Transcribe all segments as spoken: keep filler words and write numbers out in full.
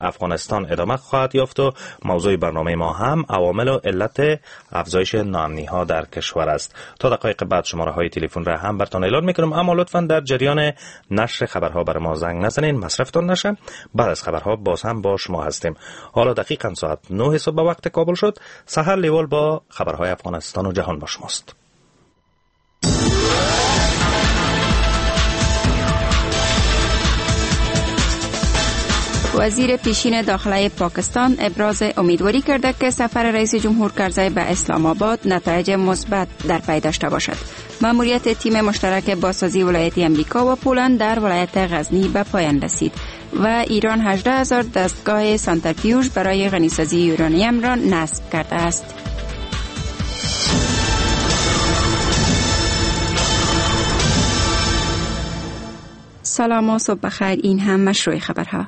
افغانستان ادامه خواهد یافت و موضوع برنامه ما هم عوامل و علت افزایش ناامنی ها در کشور است. تا دقایق بعد شماره های تلفن را هم براتون اعلان میکنم، اما لطفاً در جریان نشر خبرها بر ما زنگ نزنین، مصرفتون نشه. بعد از خبرها باز هم با شما هستیم. حالا دقیقاً ساعت نه صبح به وقت کابل شد. سحر لیوال با خبرهای افغانستان و جهان با شماست. وزیر پیشین داخله پاکستان ابراز امیدواری کرده که سفر رئیس جمهور کرزی به اسلام آباد نتایج مثبت در پی داشته باشد. مأموریت تیم مشترک بازسازی ولایت امریکا و پولند در ولایت غزنی به پایان رسید و ایران هجده هزار دستگاه سانترفیوژ برای غنیسازی یورانیم را نصب کرده است. سلام و صبح بخیر. این هم مشروع خبرها.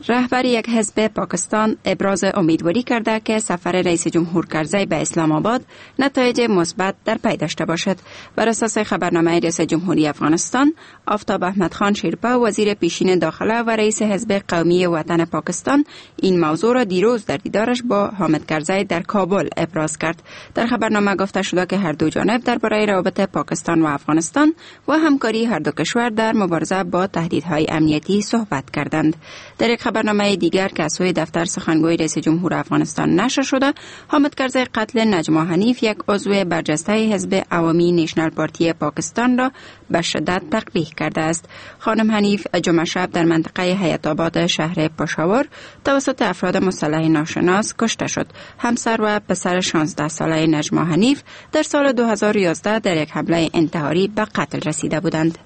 رهبر یک حزب پاکستان ابراز امیدواری کرده که سفر رئیس جمهور کرزی به اسلام آباد نتایج مثبت در پی داشته باشد. بر اساس خبرنامه رئیس جمهوری افغانستان، آفتاب احمد خان شیرپا وزیر پیشین داخله و رئیس حزب قومی وطن پاکستان این موضوع را دیروز در دیدارش با حامد کرزی در کابل ابراز کرد. در خبرنامه گفته شده که هر دو جانب درباره روابط پاکستان و افغانستان و همکاری هر دو کشور در مبارزه با تهدیدهای امنیتی صحبت کردند. در یک خبرنامه دیگر که از سوی دفتر سخنگوی رئیس جمهور افغانستان نشر شده، حامد کرزی قتل نجما حنیف یک عضو برجسته حزب عوامی نیشنل پارتی پاکستان را به شدت تقبیح کرده است. خانم حنیف جمعه شب در منطقه حیات آباد شهر پشاور توسط افراد مسلح ناشناس کشته شد. همسر و پسر شانزده ساله نجما حنیف در سال دو هزار و یازده در یک حمله انتحاری به قتل رسیده بودند.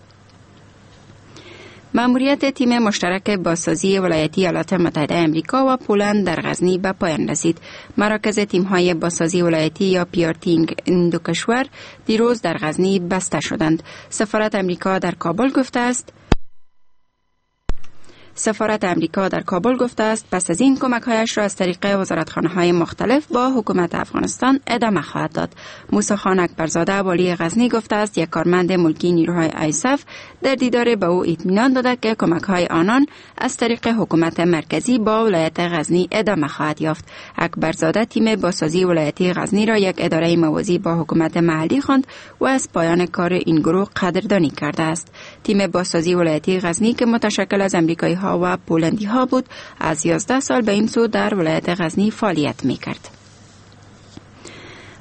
مأموریت تیم مشترک بازسازی ولایتی ایالات متحده امریکا و پولند در غزنی به پایان رسید. مراکز تیم‌های بازسازی ولایتی یا پی آر تی این دو کشور دیروز در غزنی بسته شدند. سفارت امریکا در کابل گفته است سفارت امریکا در کابل گفته است پس از این کمک‌هایش را از طریق وزارتخانه‌های مختلف با حکومت افغانستان ادامه خواهد داد. موسی خان اکبرزاده والی غزنی گفته است یک کارمند ملکی نیروهای آیسف در دیدار به او اطمینان داده که کمک‌های آنان از طریق حکومت مرکزی با ولایت غزنی ادامه خواهد یافت. اکبرزاده تیم بازسازی ولایتی غزنی را یک اداره موازی با حکومت محلی خواند و از پایان کار این گروه قدردانی کرده است. تیم بازسازی ولایتی غزنی که متشکل از امریکایی ها و پولندی ها بود، از یازده سال به این سو در ولایت غزنی فعالیت می کرد.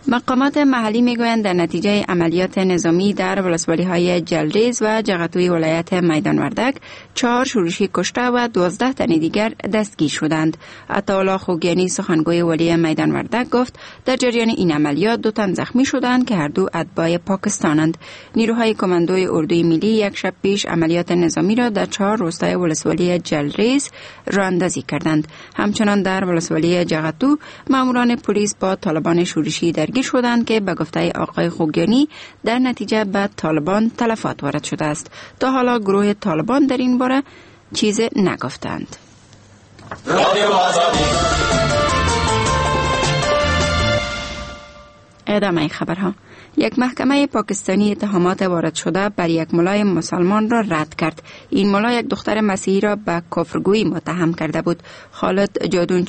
مقامات محلی میگویند در نتیجه عملیات نظامی در ولسوالی‌های جلریز و جغتوی ولایت میدان وردک چهار شورشی کشته و دوازده تن دیگر دستگیر شدند. عطاالله خوگیانی سخنگوی ولی میدان وردک گفت در جریان این عملیات دو تن زخمی شدند که هر دو اتباع پاکستانند. نیروهای کماندوی اردوی ملی یک شب پیش عملیات نظامی را در چهار روستای ولسوالی جلریز راه اندازی کردند. همچنان در ولسوالی جغتو ماموران پلیس با طالبان شورشی درگیر شدند که به گفته آقای خوگیانی در نتیجه به طالبان تلفات وارد شده است. تا حالا گروه طالبان در این باره چیز نگفتند. ادامه خبرها. یک محکمه پاکستانی اتهامات وارد شده بر یک ملای مسلمان را رد کرد. این ملا یک دختر مسیحی را به کفرگویی متهم کرده بود. خالد جادون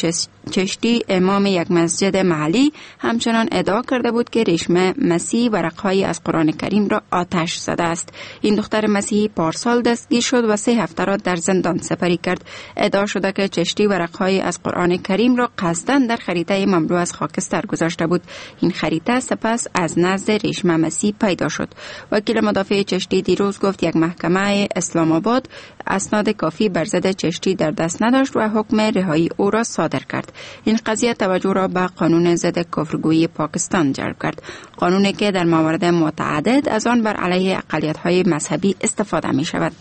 چشتی امام یک مسجد محلی همچنان ادعا کرده بود که ریشم مسیح ورقهایی از قرآن کریم را آتش زده است. این دختر مسیحی پارسال دستگیر شد و سه هفته را در زندان سپری کرد. ادعا شده که چشتی ورقهایی از قرآن کریم را قصداً در خریطه مملو از خاکستر گذاشته بود. این خریطه سپس از نزد ریشم مسیح پیدا شد. وکیل مدافع چشتی دیروز گفت یک محکمه اسلام آباد اسناد کافی بر ضد چشتی در دست نداشت و حکم رهایی او را صادر کرد. این قضیه توجه را به قانون ضد کفرگویی پاکستان جلب کرد، قانونی که در موارد متعدد از آن بر علیه اقلیت‌های مذهبی استفاده می شود.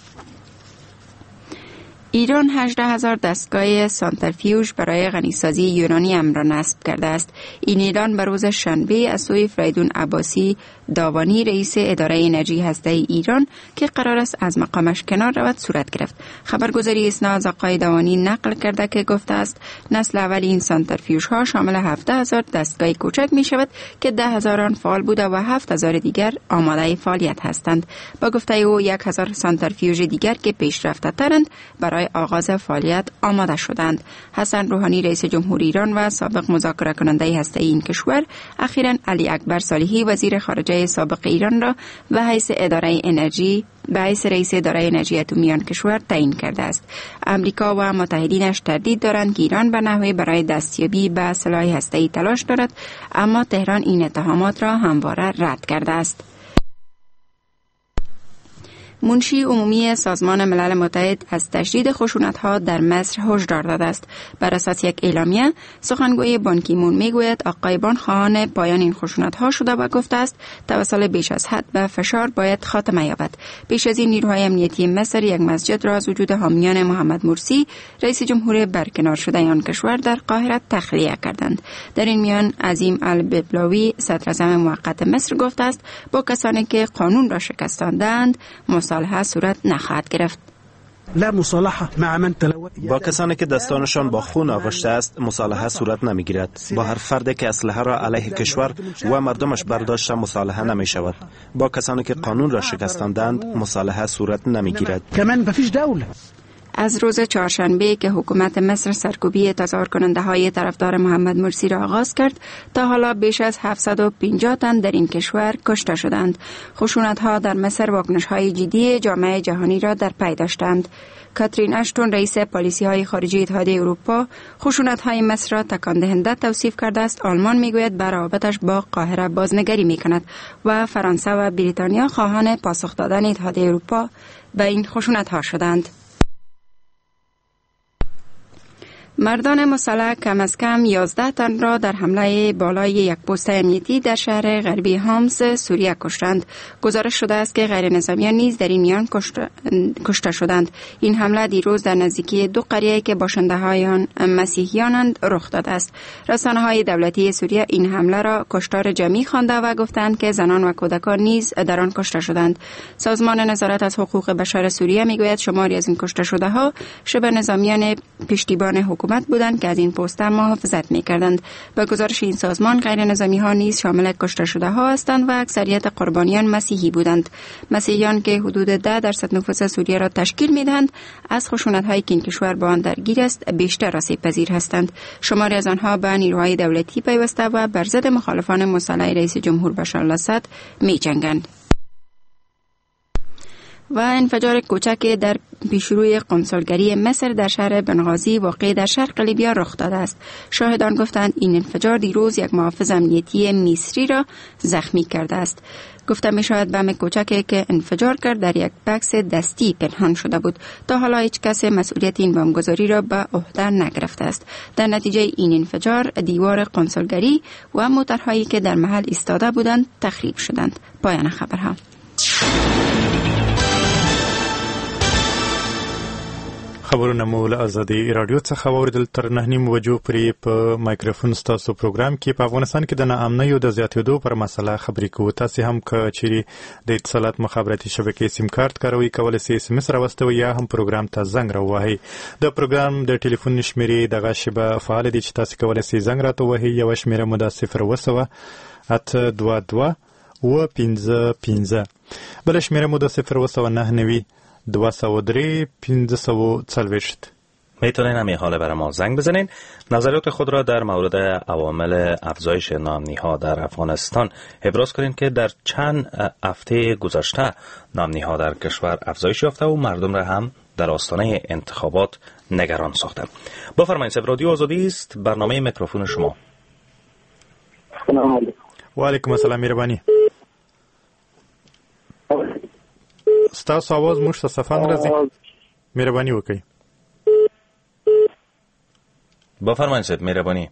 ایران هجده هزار دستگاه سانترفیوژ برای غنیسازی یورانیم را نصب کرده است. این اعلان به روز شنبه از سوی فریدون عباسی داوانی رئیس اداره انرژی هسته‌ای ایران که قرار است از مقامش کنار رود صورت گرفت. خبرگزاری اسنا از آقای داوانی نقل کرده که گفته است نسل اول این سانترفیوژها شامل هفده هزار دستگاه کوچک می شود که ده هزار آن فعال بوده و هفت هزار دیگر آماده فعالیت هستند. با گفته او یک هزار سانترفیوژ دیگر که پیشرفته ترند برای برای آغاز فعالیت آماده شدند. حسن روحانی رئیس جمهور ایران و سابق مذاکره کننده هسته‌ای این کشور اخیراً علی اکبر صالحی وزیر خارجه سابق ایران را به حیث اداره انرژی به حیث رئیس اداره انرژی اتمی آن کشور تعیین کرده است. امریکا و متحدینش تردید دارند که ایران به نحوی برای دستیابی به سلاح هسته‌ای تلاش دارد، اما تهران این اتهامات را همواره رد کرده است. منشی عمومی سازمان ملل متحد از تشدید خشونت‌ها در مصر هشدار داده است. بر اساس یک اعلامیه، سخنگوی بان کی مون میگوید آقای بان خواهان پایان این خشونت‌ها شده و گفته است توسل بیش از حد به فشار باید خاتمه یابد. پیش از این نیروهای امنیتی مصر یک مسجد را از وجود حامیان محمد مرسی رئیس جمهور برکنار شده آن کشور در قاهره تخلیه کردند. در این میان عظیم الببلاوی صدراعظم موقت مصر گفته است با کسانی که قانون را شکستاندند مصالحه صورت نخواهد گرفت. با کسانی که دستانشان با خون آغشته است مصالحه صورت نمیگیرد. با هر فردی که اسلحه را علیه کشور و مردمش برداشته مصالحه نمی شود. با کسانی که قانون را شکستاندند مصالحه صورت نمیگیرد. از روز چهارشنبه که حکومت مصر سرکوبی تظاهر کننده های طرفدار محمد مرسی را آغاز کرد تا حالا بیش از هفتصد و پنجاه تن در این کشور کشته شدند. خشونت ها در مصر واکنش های جدی جامعه جهانی را در پی داشتند. کاترین اشتون رئیس پالیسی های خارجی اتحادیه اروپا خشونت های مصر را تکان دهنده توصیف کرده است. آلمان میگوید بر روابطش با قاهره بازنگری میکند و فرانسه و بریتانیا خواهان پاسخ دادن اتحادیه اروپا به این خشونت ها شدند. مردان مسلح کم از کم یازده تن را در حمله بالای یک پست امنیتی در شهر غربی حمص سوریه کشتند. گزارش شده است که غیر نظامیان نیز در این میان کشته شدند. این حمله دیروز در نزدیکی دو قریه که باشنده های آن مسیحیانند رخ داده است. رسانه های دولتی سوریه این حمله را کشتار جمعی خوانده و گفتند که زنان و کودکان نیز در آن کشته شدند. سازمان نظارت از حقوق بشر سوریه میگوید شماری از این کشته شده ها شبه نظامیان پشتیبان حکومت بودند که از این پست محافظت می‌کردند. به گزارش این سازمان غیر نظامی ها نیز شامل کشته شده ها هستند و اکثریت قربانیان مسیحی بودند. مسیحیان که حدود ده درصد نفوس سوریه را تشکیل می‌دهند از خشونت هایی که این کشور با آن درگیر است بیشتر آسیب پذیر هستند. شماری از آنها به نیروهای دولتی پیوسته و بر ضد مخالفان مسلح رئیس جمهور بشار الاسد می‌جنگند. و انفجار کوچک در پیشروی قنسولگری مصر در شهر بنغازی واقع در شرق لیبیا رخ داده است. شاهدان گفتند این انفجار دیروز یک محافظ امنیتی مصری را زخمی کرده است. گفته می شود بم کوچکی که انفجار کرد در یک بکس دستی پنهان شده بود. تا حالا هیچ کس مسئولیت این بمبگذاری را به عهده نگرفته است. در نتیجه این انفجار دیوار قنسولگری و موترهایی که در محل ایستاده بودند تخریب شدند. پایان خبرها. خبرونه مو له ازادي رادیو څخه واورېدل. تر نهه نیمو بجو پورې په مایکروفون ستاسو پروګرام کې په افغانستان کې د ناامنیو د زیاتېدو پر مسله خبرې کوو. تاسې هم که چیرې د اتصالات مخابراتي شبکې سیم کارت کاروئ کولی شئ اس ام اس راواستوئ یا هم پروګرام ته زنګ راووهئ. د پروګرام د ټلیفون شمېرې دغه شیبه فعاله دي چې تاسې کولی شئ زنګ راته ووهئ. یوه شمېره مو ده صفر اووه سوه اته دوه دوه اووه پنځه پنځه، بله شمېره مو ده صفر اووه سوه نهه نوي دو سو درې پنځه سو څلوېښت. میتونین همین حالا برای ما زنگ بزنین، نظریات خود را در مورد عوامل افزایش ناامنی ها در افغانستان ابراز کنین که در چند هفته گذشته ناامنی ها در کشور افزایش یافته و مردم را هم در آستانه انتخابات نگران ساخته. بفرمایید. رادیو آزادی است، برنامه میکروفون شما. سلام علیکم. و علیکم السلام. مهربانی. ستاسو आवाज موږ ته صفا نه راځي، مهرباني وکړئ. بفرمایئ صاحب، مهرباني.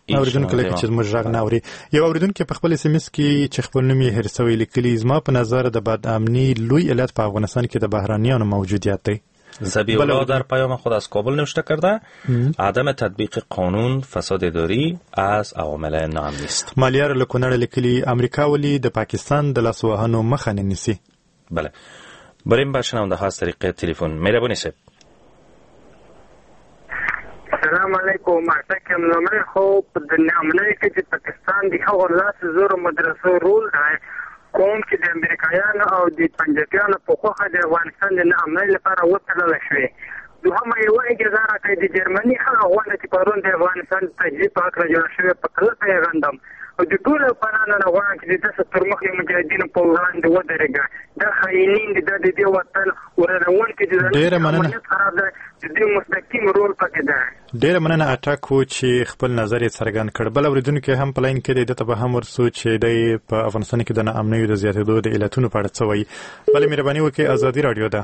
اوریدونکو لکه چې زموږ غږ نه اوري. یو اوریدونکي په خپل اس ام اس کې چې خپل نوم یې هېر شوی لیکلي، زما په نظر د بدامني لوی علت په افغانستان کې د بهرنیانو موجودیت دی. ذبیح الله در پیام خود از کابل نوشته کرده عدم تطبیق قانون، فساد اداری از عوامل ناامنی است. مالیار له کونړ لیکلي، امریکا ولې د پاکستان د لاسوهنو مخه نه نیسي؟ بله، بریم به شنونده ها از طریق تلفن. مهرباني صاحب. السلام علیکم. ارتکم لومړی خو په د ناامنۍ کې د پاکستان د هغو لس زرو مدرسو رول دی کوم چې د امریکایانو او د پنجابیانو په خوښه د افغانستان د ناامنۍ لپاره وتړل شوې. دوهمه یوه اجازه راکړئ، د جرمني هغه غونډه چې پرون د افغانستان د تجزیې په هکله جوړه شوې په کلکه یې غندم او د ټولو افغانانو نه غواړم چې د داسې ترمخې مجاهدینو په وړاندې ودرېږه. دا خاینین دي، دا د دې وطن ورانوونکي دي، امنیت خراب دی، د دې مستقیم رول پکې دی. ډېره مننه اټک و چې خپل نظر یې څرګند کړ. بل اورېدونکی هم په لاین کې دی، ده ته به هم ورسو چې دی په افغانستان کې د ناامنیو د زیاتېدو د علتونو په اړه څه وایي. بله مهرباني وکړئ، ازادي راډیو ده.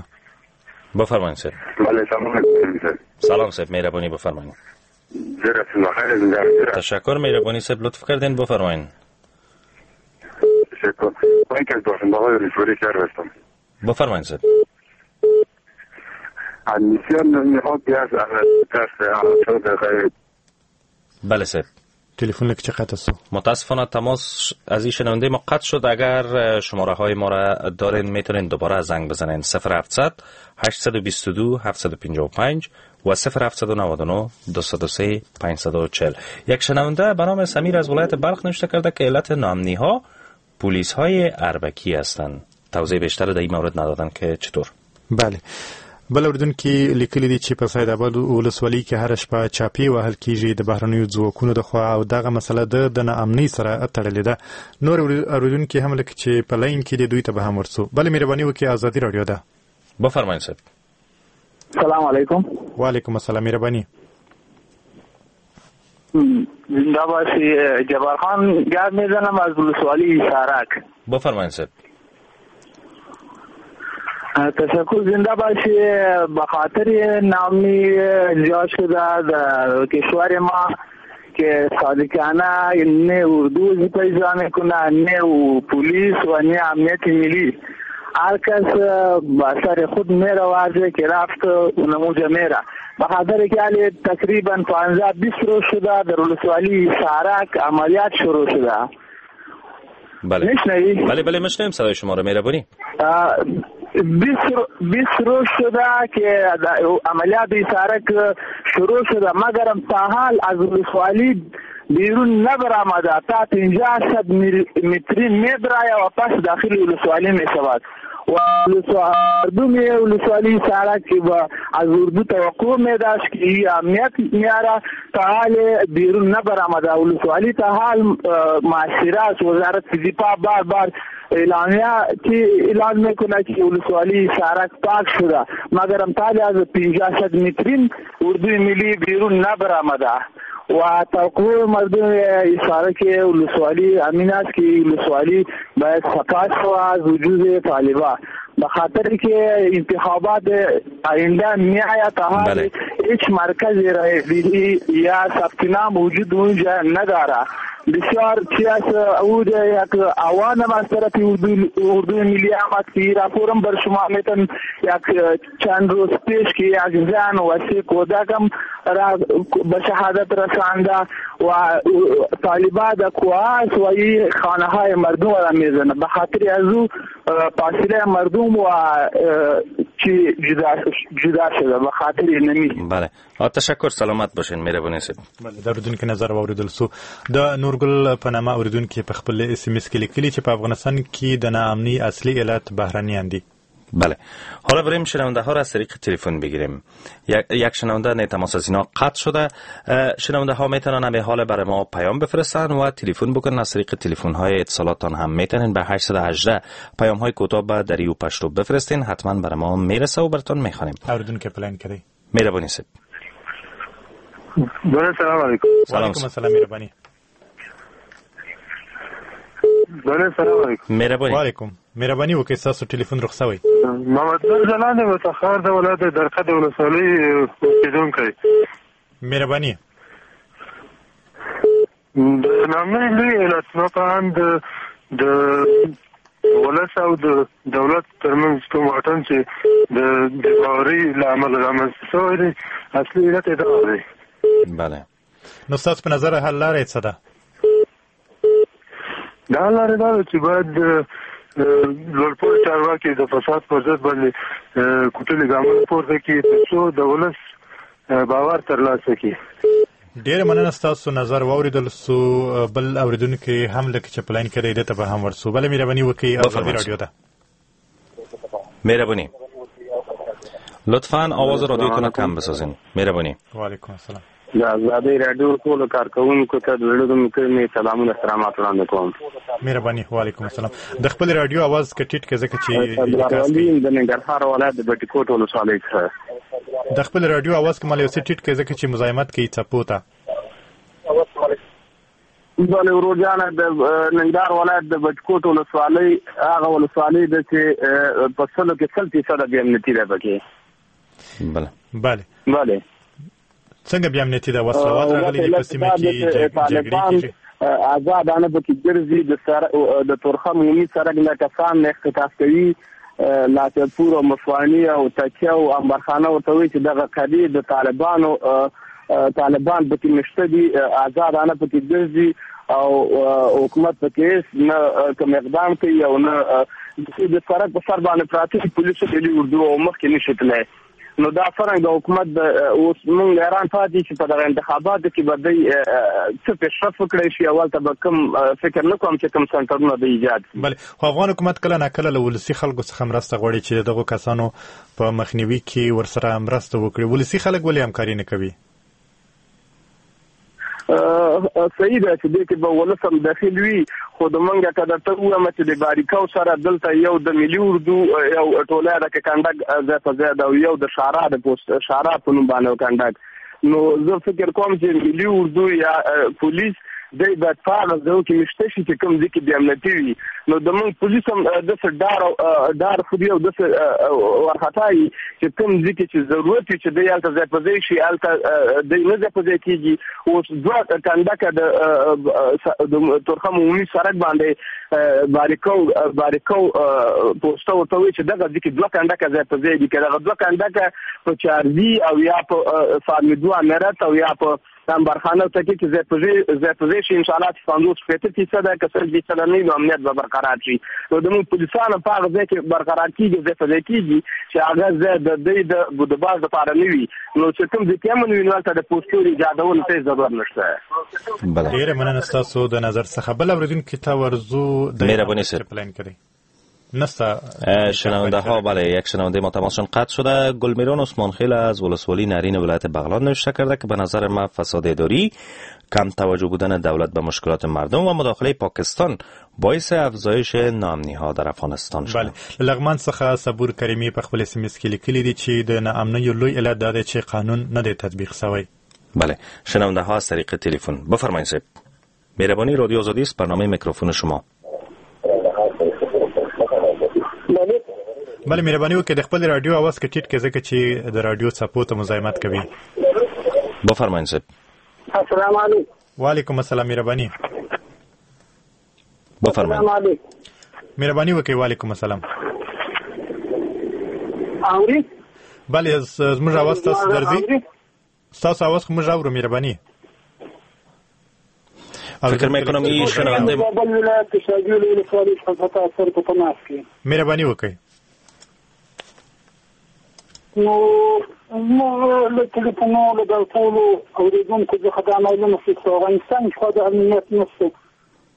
بفرمایید صاحب. بله سلام علیکم. سلام صاحب، مهربانی بفرمایید. تشکر، مهربانی صاحب، لطف کردین، بفرمایید. تشکر. من که از باشنده‌های ولسوالی شهر هستم. بفرمایید صاحب. بله صاحب. تلفن لکه چه قطع شد؟ متاسفانه تماس از این شنونده ما قطع شد. اگر شماره های ما را دارین میتونین دوباره زنگ بزنین. صفر هفتصد هشتصد و بیست و دو هفتصد و پنجاه و پنج و صفر هفتصد و نود و نه دویست و سه پانصد و چهل. یک شنونده به نام سمیر از ولایت بلخ نوشته کرده که علت ناامنی ها پلیس های اربکی هستند. توضیح بیشتر در این مورد ندادن که چطور. بله. بل اوریدونکي لیکلي دي چې په سید آباد ولسوالۍ کې هره شپه چاپې وهل کیږي د بهرنیو ځواکونو د خوا او دغه مسله د د ناامنۍ سره تړلې ده. نور اوریدونکي هم لکه چې په لاین کې دي، دوی ته به هم ورسو. بله مهرباني وکړئ، ازادي راډیو ده. بفرمایئ صاحب. سلام علیکم. وعلیکم السلام، مهرباني. زنده باشی. جبار خان گپ میزنم از ولسوالی سارک. بفرمایئ صاحب. تشکر، زنده باشی. به خاطر نامی زیاد شده در کشور ما که صادقانه نه اردو پیدا میکنه، نه پلیس و نه امنیت ملی. هر کس با سر خود میره واضح که رفت اونموجه میره. به خاطر که حالی تقریبا پانزده بیست روز شده در ولسوالی سارک عملیات شروع شده. بله میشنوی؟ بله بله میشنویم صدای شما رو، مهربانی. بیست روز شده که عملیات سارک شروع شده، مگرم تا حال از ولسوالی بیرون نبرآمده، تا پنجاه صد متری میبراید و پس داخل ولسوالی میشود. و مردم ولسوالی سارک از اردو توقع میداشت که امنیت میاره، تا حال بیرون نبرآمده. ولسوالی تا حال معاشره است. وزارت دفاع بار بار اعلامیه که اعلان میکنه که ولسوالی سارک پاک شده، مگرم تا حال از پنجاه صد متری اردوی ملی بیرون نبرآمده. و توقع مردم سارک ولسوالی امین است که ولسوالی باید سپاس شود از وجود طالبان، به خاطر که انتخابات آینده میآید. تا حال هیچ مرکز رای یا ثبت نام وجود اونجا نداره. بسیار چیز او یک اوان از طرف اردو ملی آمد که راپورم بر شما میتن یک چند روز پیش که یک زن و سه کودکم را به شهادت رسانده و طالبان در کوه و این خانه های مردم را میزنه. به خاطر از او فاصله مردم و چی جدا جدا شده به خاطر نمی. بله، تشکر، سلامت باشین، مهرباني صاحب. بله، د اوریدونکو نظر واوریدل سو. د نورګل په نامه اوریدونکي په خپل اس ام اس کې لیکلي چې په افغانستان کې د ناامنۍ اصلي علت بهرنیان دي. بله، حالا بریم شنونده ها را از طریق تلفن بگیریم. یک شنونده نه تماس از اینا قطع شده. شنونده ها میتونن به حال برای ما پیام بفرستن و تلفن بکنن. از طریق تلفن های اتصالاتان هم میتونن به هشت یک هشت پیام های کوتاه به دری و پشتو بفرستین، حتما برای ما میرسه و براتون میخوانیم. اوریدونکو پلان کردی. مهربانی صاحب. بله، سلام علیکم. سلام علیکم. سلام، مهربانی. بله، سلام علیکم. مهربانی. وعلیکم. مهرباني وکړئ، ستاسو ټلیفون رخصوي. محمد نور ځلاند د تخار د ولایت د درقد ولسوالۍ اوسېدونکی. مهرباني. د ناامنۍ لوی علت زما په اند د ولس او د دولت ترمنځ کوم واټن چې د بې باورۍ له امله رامنځته شوی دی، اصلي علت یې دا دی. بله، نو ستاسو په نظر حل لاره یې څه ده؟ د حل لاره دا ده چې باید لوړپوړي چارواکي د فساد پر ضد باندې کوټلي ګامونه پورته کړي، تر څو د ولس باور ترلاسه کړي. ډیره مننه ستاسو نظر واوریدل سو. بل اوریدونکي هم لکه چې په لاین کې دی، ده ته به هم ورسو. بله مهرباني وکړئ، ازادي رادیو ده. مهرباني، لطفاً آواز رادیوتون کم بسازین. مهرباني. و علیکم السلام. د ازادي رادیو ټولو کارکوونکو ته د زړه له کومې سلامونه احترامات وړاندې کوم. مهرباني. و علیکم السلام. د خپل رادیو آواز که ټیټ کړئ ځکه چې د ننګرهار ولایت د بټي کوټ ولسوالۍ څخه. د خپل رادیو آواز که مال یو څه ټیټ کړئ ځکه چې مزاحمت کوي څپو ته. بله ورور جانه، د ننګرهار ولایت د بټي کوټ ولسوالۍ هغه ولسوالۍ ده چې په سلو کې سل فیصده بې امنیتي ده پکې. بله بله بله. څنګه بې امنیتي ده؟ وسلوال راغلي دي په سیمه کې، جګړې کېږي، آزادانه پکې ګرځي، د سر د تورخم عمومي سړک نه کسان اختطاف کوي، لاچپور او مشواني او تکیه او امبرخانه ورته وایي چې دغه قضیې د طالبانو طالبان پکې مېشته دي، آزادانه پکې ګرځي او حکومت پکې هېڅ نه کوم اقدام کوي او نه د سړک په سر باندې پراته پولیسو ملي اردو او مخکې نشي تللی. نو دا څرنګه د حکومت د اوس موږ حیران پاتې چې په دغه انتخاباتو کې به دوی څه پیشرفت وکړای شي، او هلته به کوم فکر نه کوم چې کوم سنټرونه به ایجاد کړي. بله، خو افغان حکومت کله ناکله له ولسي خلکو څخه مرسته غواړي چې د دغو کسانو په مخنیوي کې ورسره مرسته وکړي. ولسي خلک ولې همکاري نه کوي؟ صحیح ده چې دې کې به ولس هم دخیل وي، خو د مونږ که درته ووایم چې د باریکو سره دلته یو د ملي اردو یو ټولی ده که کنډک ځای په ځای ده، او یو د شارا د پوسټ شارا په نوم باندې کنډک. نو زه فکر کوم چې ملي اردو یا پولیس دی باید په هغه ځایو کې مېشته شي چې کوم ځای کې بې امنیتي وي. نو د موږ پولیس هم داسې ډار ډار خوري او داسې وارخطا وي چې کوم ځای کې چې ضرورت وي چې دی هلته ځای په ځای شي، هلته دی نه ځای په ځای کېږي. اوس دوه کنډکه د تورخم عمومي سړک باندې باریکو باریکو پوسټه ورته وایي چې دغه ځای کې دوه کنډکه ځای په ځای دي، که دغه دوه کنډکه په چارزي او یا په فارمیدو امارت او یا په امبرخانه ته کې ځای په ځای په ځای شي، انشاءالله چې پنځوس شپېته فیصده که سل فیصده نه وي نو امنیت به برقرار شي. نو د موږ پولیسانو په هغه ځای کې برقرار کېږي، ځای په ځای کېږي چې هغه ځای د دوی د بودباز لپاره نه وي. نو چې کوم ځای کې امن وي نو هلته د پوستو ایجادولو ته هېڅ ضرورت نشته. ډېره مننه ستاسو د نظر څخه. بل اورېدونکي ته ورځو. مهرباني صاحب. په لاین کې دی. نستا شنونده ها. بله، یک شنونده ما تماسشون قطع شده. گلمیران عثمان خیل از ولسوالی نرین ولایت بغلان نوشته کرده که به نظر ما فساد اداری، کم توجه بودن دولت به مشکلات مردم و مداخله پاکستان باعث افزایش ناامنی ها در افغانستان شده. بله، لغمان څخه صبور کریمی په خپل اس ام اس کې لیکلي دي چې د ناامنیو لوی علت دا دی چې قانون نه دی تطبیق شوی. بله، شنونده ها از طریق تلفن بفرمایید صاحب. مهربانی، رادیو آزادی است، برنامه میکروفون شما. بله، مهرباني وکړئ د خپل رادیو آواز که ټیټ کړئ ځکه چې د رادیو څپو ته مزاحمت کوي. بفرمایئ صاحب. السلام علیکم. وعلیکم السلام. مهرباني بفرمایئ. مهرباني وکړئ. وعلیکم السلام. اوري؟ بله، زموږ آواز تاسو درځي؟ ستاسو آواز خو موږ اورو. مهرباني. فکر میکنم این شنونده مهرباني وکړئ. نو موږ له تلفونو له دغو ټولو اورېدونکو څخه دا معلومه شوه چې افغانستان کې خو د امنیت نشته.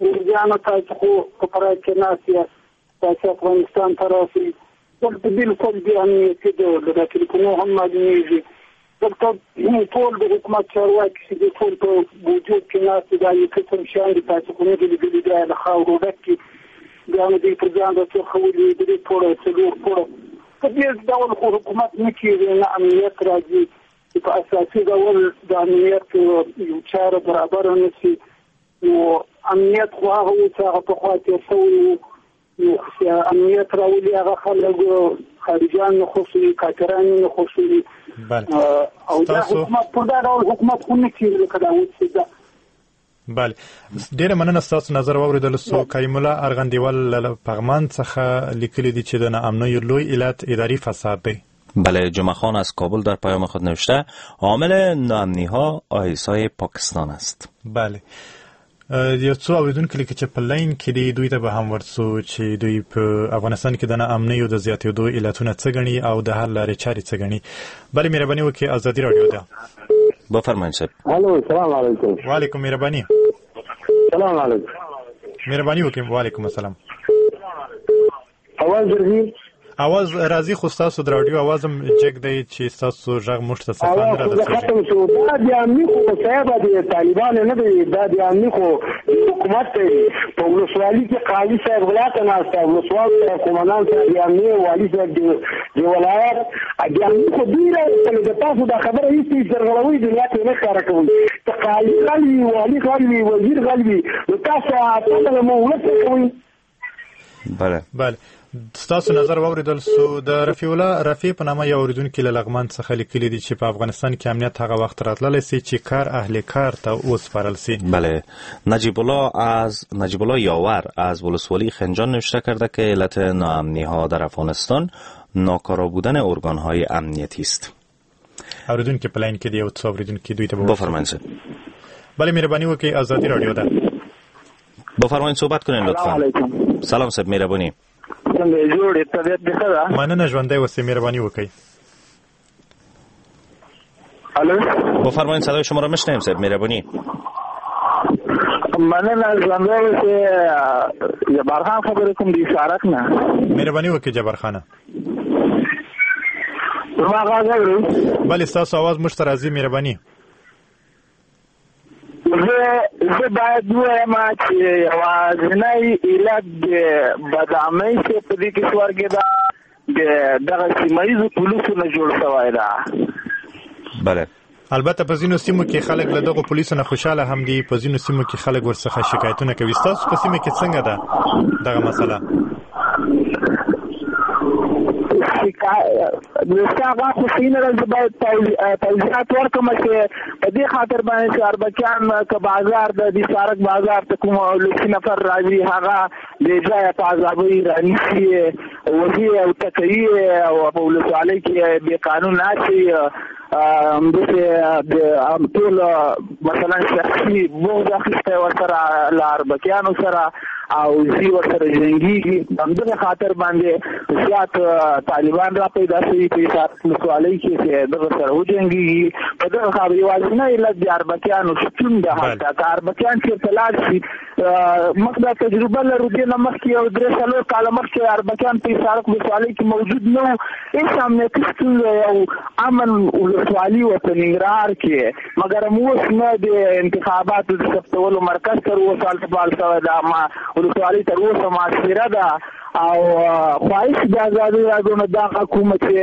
ورځیانو تاسو خو په پراګ کې ناست یاست، تاسو افغانستان ته راشئ، دلته بالکل بې امنیتي ده، له تلفونو هم معلومېږي. دلته ټول د حکومت چارواکي چې دي ټول په وجود کې ناست دي، دا یو قسم شیان دي تاسو خو نه دي لیدلي، دا له خاورو ډک دي، بیا نو دوی پر ځان راڅرخولي، درې پوړه څلور پوړه. په دې ډول خو حکومت نه کېږي، نه امنیت راځي. چې په اساسي ډول د امنیت یو چاره برابره نه شي، نو امنیت خو هغه و چې هغه پخوا تېر شوی و. نو امنیت راولي هغه خلک خارجیان نه خوښوي، کافران یې نه خوښوي. او دا حکومت پر دا ډول حکومت خو نه کېږي لکه دا اوس چې ده. بله، ډیره مننه ستاسو نظر واورېدل سو. کریم الله ارغندیوال له پغمان څخه لیکلي دي چې د ناامنیو لوی علت اداري فساد دی. بله، جمعه خان از کابل در پیام خود نوشته عامل ناامنی ها آیسای پاکستان است. بله، یو څو اوریدونکي لیکي چې په لاین کې دي، دوی ته به هم ورڅو چې دوی په افغانستان کې د ناامنیو د زیاتېدو علتونه څه ګڼي او د حل لارې چارې څه ګڼي. بله، مهرباني وکړئ، ازادي راډیو ده. بفرمایئ صاحب. الو سلام علیکم. و علیکم، مهرباني. سلام علیکم. مهرباني وکړئ. و علیکم السلام. اواز راځي؟ اواز راځي خو ستاسو د راډیو اواز هم جګ دی چې ستاسو غږ موږ ته صفا نه رارسېږي. ختم شو. دا د امني خو صاحب د طالبانو نه دی، دا د امني خو حکومت دی. په ولسوالي کې قاضي صاحب غلا ته ناست دی، ولسوال صاحب، قومندان صاحب، د امني والي صاحب، د ولایت د امني خو دوی راوستل. د تاسو دا خبره هېڅ سرغړوي دنیا کې نه ښکاره کوي. که قاضي غل وي، والي غل وي، وزیر غل وي، نو تاسو تاسو مو ولس کوئ. بله بله، ستاسو نظر واورېدل سو. د رفیع الله رفیع په نامه یو اورېدونکي له لغمان څخه لیکلي دي چې په افغانستان کې امنیت هغه وخت راتللی سي چې کار اهل کار ته وسپارل سي. بله، نجیب الله از نجیب الله یاور از ولسوالی خنجان نوشته کرده که علت ناامنی ها در افغانستان ناکارا بودن ارگان های امنیتی است. اورېدونکي په لاین کې دی، یو څو اورېدونکي دوی ته بفرمایئ. بله، مهرباني وکړئ، ازادي راډیو ده. بفرمایئ صحبت کنین لطفا. سلام صاحب، مهرباني. څنګه یې جوړ یې؟ طبیعت دې ښه ده؟ مننه، ژوندی اوسئ، مهرباني وکړئ. الو بفرمایئ، صدای شما را میشنویم صاحب، مهرباني. مننه، ژوندی اوسئ. جبار خان خبرې کوم د اشارت نه. مهرباني وکړئ جبار خانه. زما غږ اورئ؟ بله، ستاسو اواز موږ ته راځي، مهرباني. زه زه باید ووایم چې یوازینی علت د بدامنۍ چې په دې کشور کې ده د دغه سیمه ییزو پولیسو نه جوړ شوی ده. بله، البته په ځینو سیمو کې خلک له دغو پولیسو نه خوشحاله هم دي، په ځینو سیمو کې خلک ورڅخه شکایتونه کوي. ستاسو په سیمه کې څنګه ده دغه مسله؟ ستا غږ خو صحیح نه ده. زه باید توضیحات ورکړم چې په دې خاطر باندې چې اربکیان که بازار د دې سارک بازار ته کوم ولسي نفر راځي، هغه بې ځایه په عذابۍ رانیسي، وهي او ټکوي او په ولسوالۍ کې بې قانون اچوي. همداسې د ټول مثلا شخصي بغض اخیستی ورسره له اربکیانو سره او ځي ورسره جنګېږي. همدغه خاطر باندې زیات طالبان را پیدا شوي په حصارک ولسوالۍ کې چې دغه سره وجنګېږي. په دغه خاطر یوازینی علت د اربکیانو شتون ده. هلته که اربکیان چېرته لاړ شي، موږ دا تجربه لرو، دې نه مخکې یو درې څلور کاله مخکې اربکیان په حصارک ولسوالۍ کې موجود نه وو، هېڅ امنیتي ستونزه یو امن ولسوالي وه په ننګرهار کې. مګر اوس نه د انتخاباتو د ثبتولو مرکز تر اوسه هلته فعال شوی ده، ما ولسوالۍ تر اوسه محاصره ده. او خواهش د ازادي راډیو نه دا کومه چې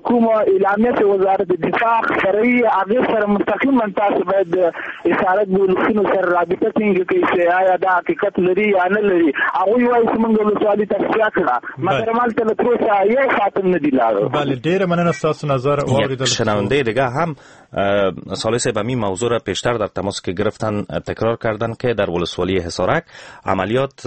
کومه اعلامیه چې وزارت دفاع خپروي هغې سره مستقیما تاسو باید د حصارک د ولسونو سره رابطه ټینګه کړئ چې آیا دا حقیقت لري یا نه لري. هغوی وایي چې موږ ولسوالي تصفیه کړه، مګر هلته له تر اوسه یو خاتم نه دی لاړو. بله، ډېره مننه ستاسو نظر واورېدل. شنونده دیگه هم صالح صاحب همین موضوع را پیشتر در تماس که گرفتن تکرار کردن که در ولسوالی حصارک عملیات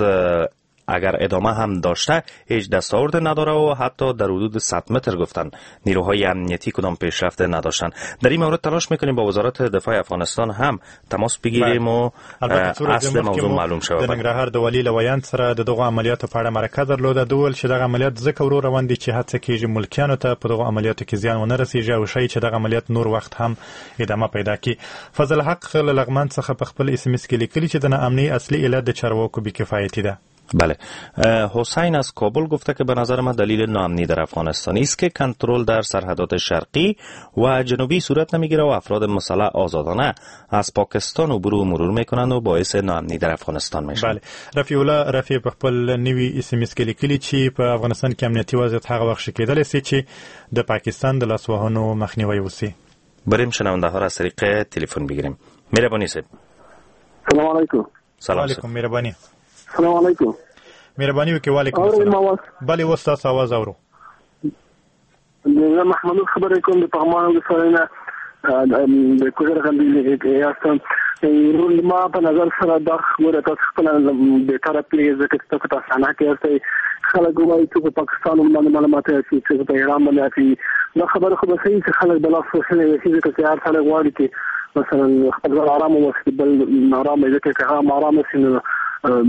اگر ادامه هم داشته هیچ دستاورد نداره و حتی در حدود صد متر گفتن نیروهای امنیتی کدام پیشرفت نداشتن. در این مورد تلاش میکنیم با وزارت دفاع افغانستان هم تماس بگیریم و اصل موضوع معلوم شود. د ننګرهار د والي له ویاند سره د دغو عملیاتو په اړه مرکه درلوده. ده وویل چې دغه عملیات ځکه ورو روان دي چې هڅه کیږي ملکیانو ته په دغو عملیاتو کې زیان ونه رسیږي او ښایي چې دغه عملیات نور وخت هم ادامه پیدا کړي. فضل حق له لغمان څخه په خپل اس ام اس کې لیکلي چې د ناامنۍ اصلي علت د چارواکو بې کفایتي ده. بله، حسین از کابل گفته که به نظر من دلیل ناامنی در افغانستان است که کنترل در سرحدات شرقی و جنوبی صورت نمیگیره و افراد مسلح آزادانه از پاکستان عبور و مرور میکنند و باعث ناامنی در افغانستان میشن. بله، رفیع الله رفیع په خپل نوي اس ام اس کې لیکلي چې په افغانستان کې امنیتي وضعیت هغه وخت ښه کېدلی شي چې د پاکستان د لاسوهنو مخنیوی وشي. بریم شنونده ها را از طریق تلفن بگیریم. مهربانی صاحب. سلام علیکم. سلام علیکم. مهربانی. سلام علیکم. مهرباني وکړئ. وعلیکم السلام. بله، اوس تاسو اواز اورو. زه محمد خبرې کوم د پغمان ولسوالۍ نه، د کوزر غندي یاستم. ما په نظر سره دا خبره تاسو خپله بهتره پوهېږئ، ځکه چې تاسو په صنعت کې یاستئ. خلک وایي چې په پاکستان باندې معلومات اچي، چې په ایران باندې اچي. دا خبره خو به صحیح چې خلک د لاس وهلي وي، ځکه چې هر سړی غواړي چې مثلا خپل ځان آرام وساتي، بل نارامه، ځکه که هغه آرام شي نو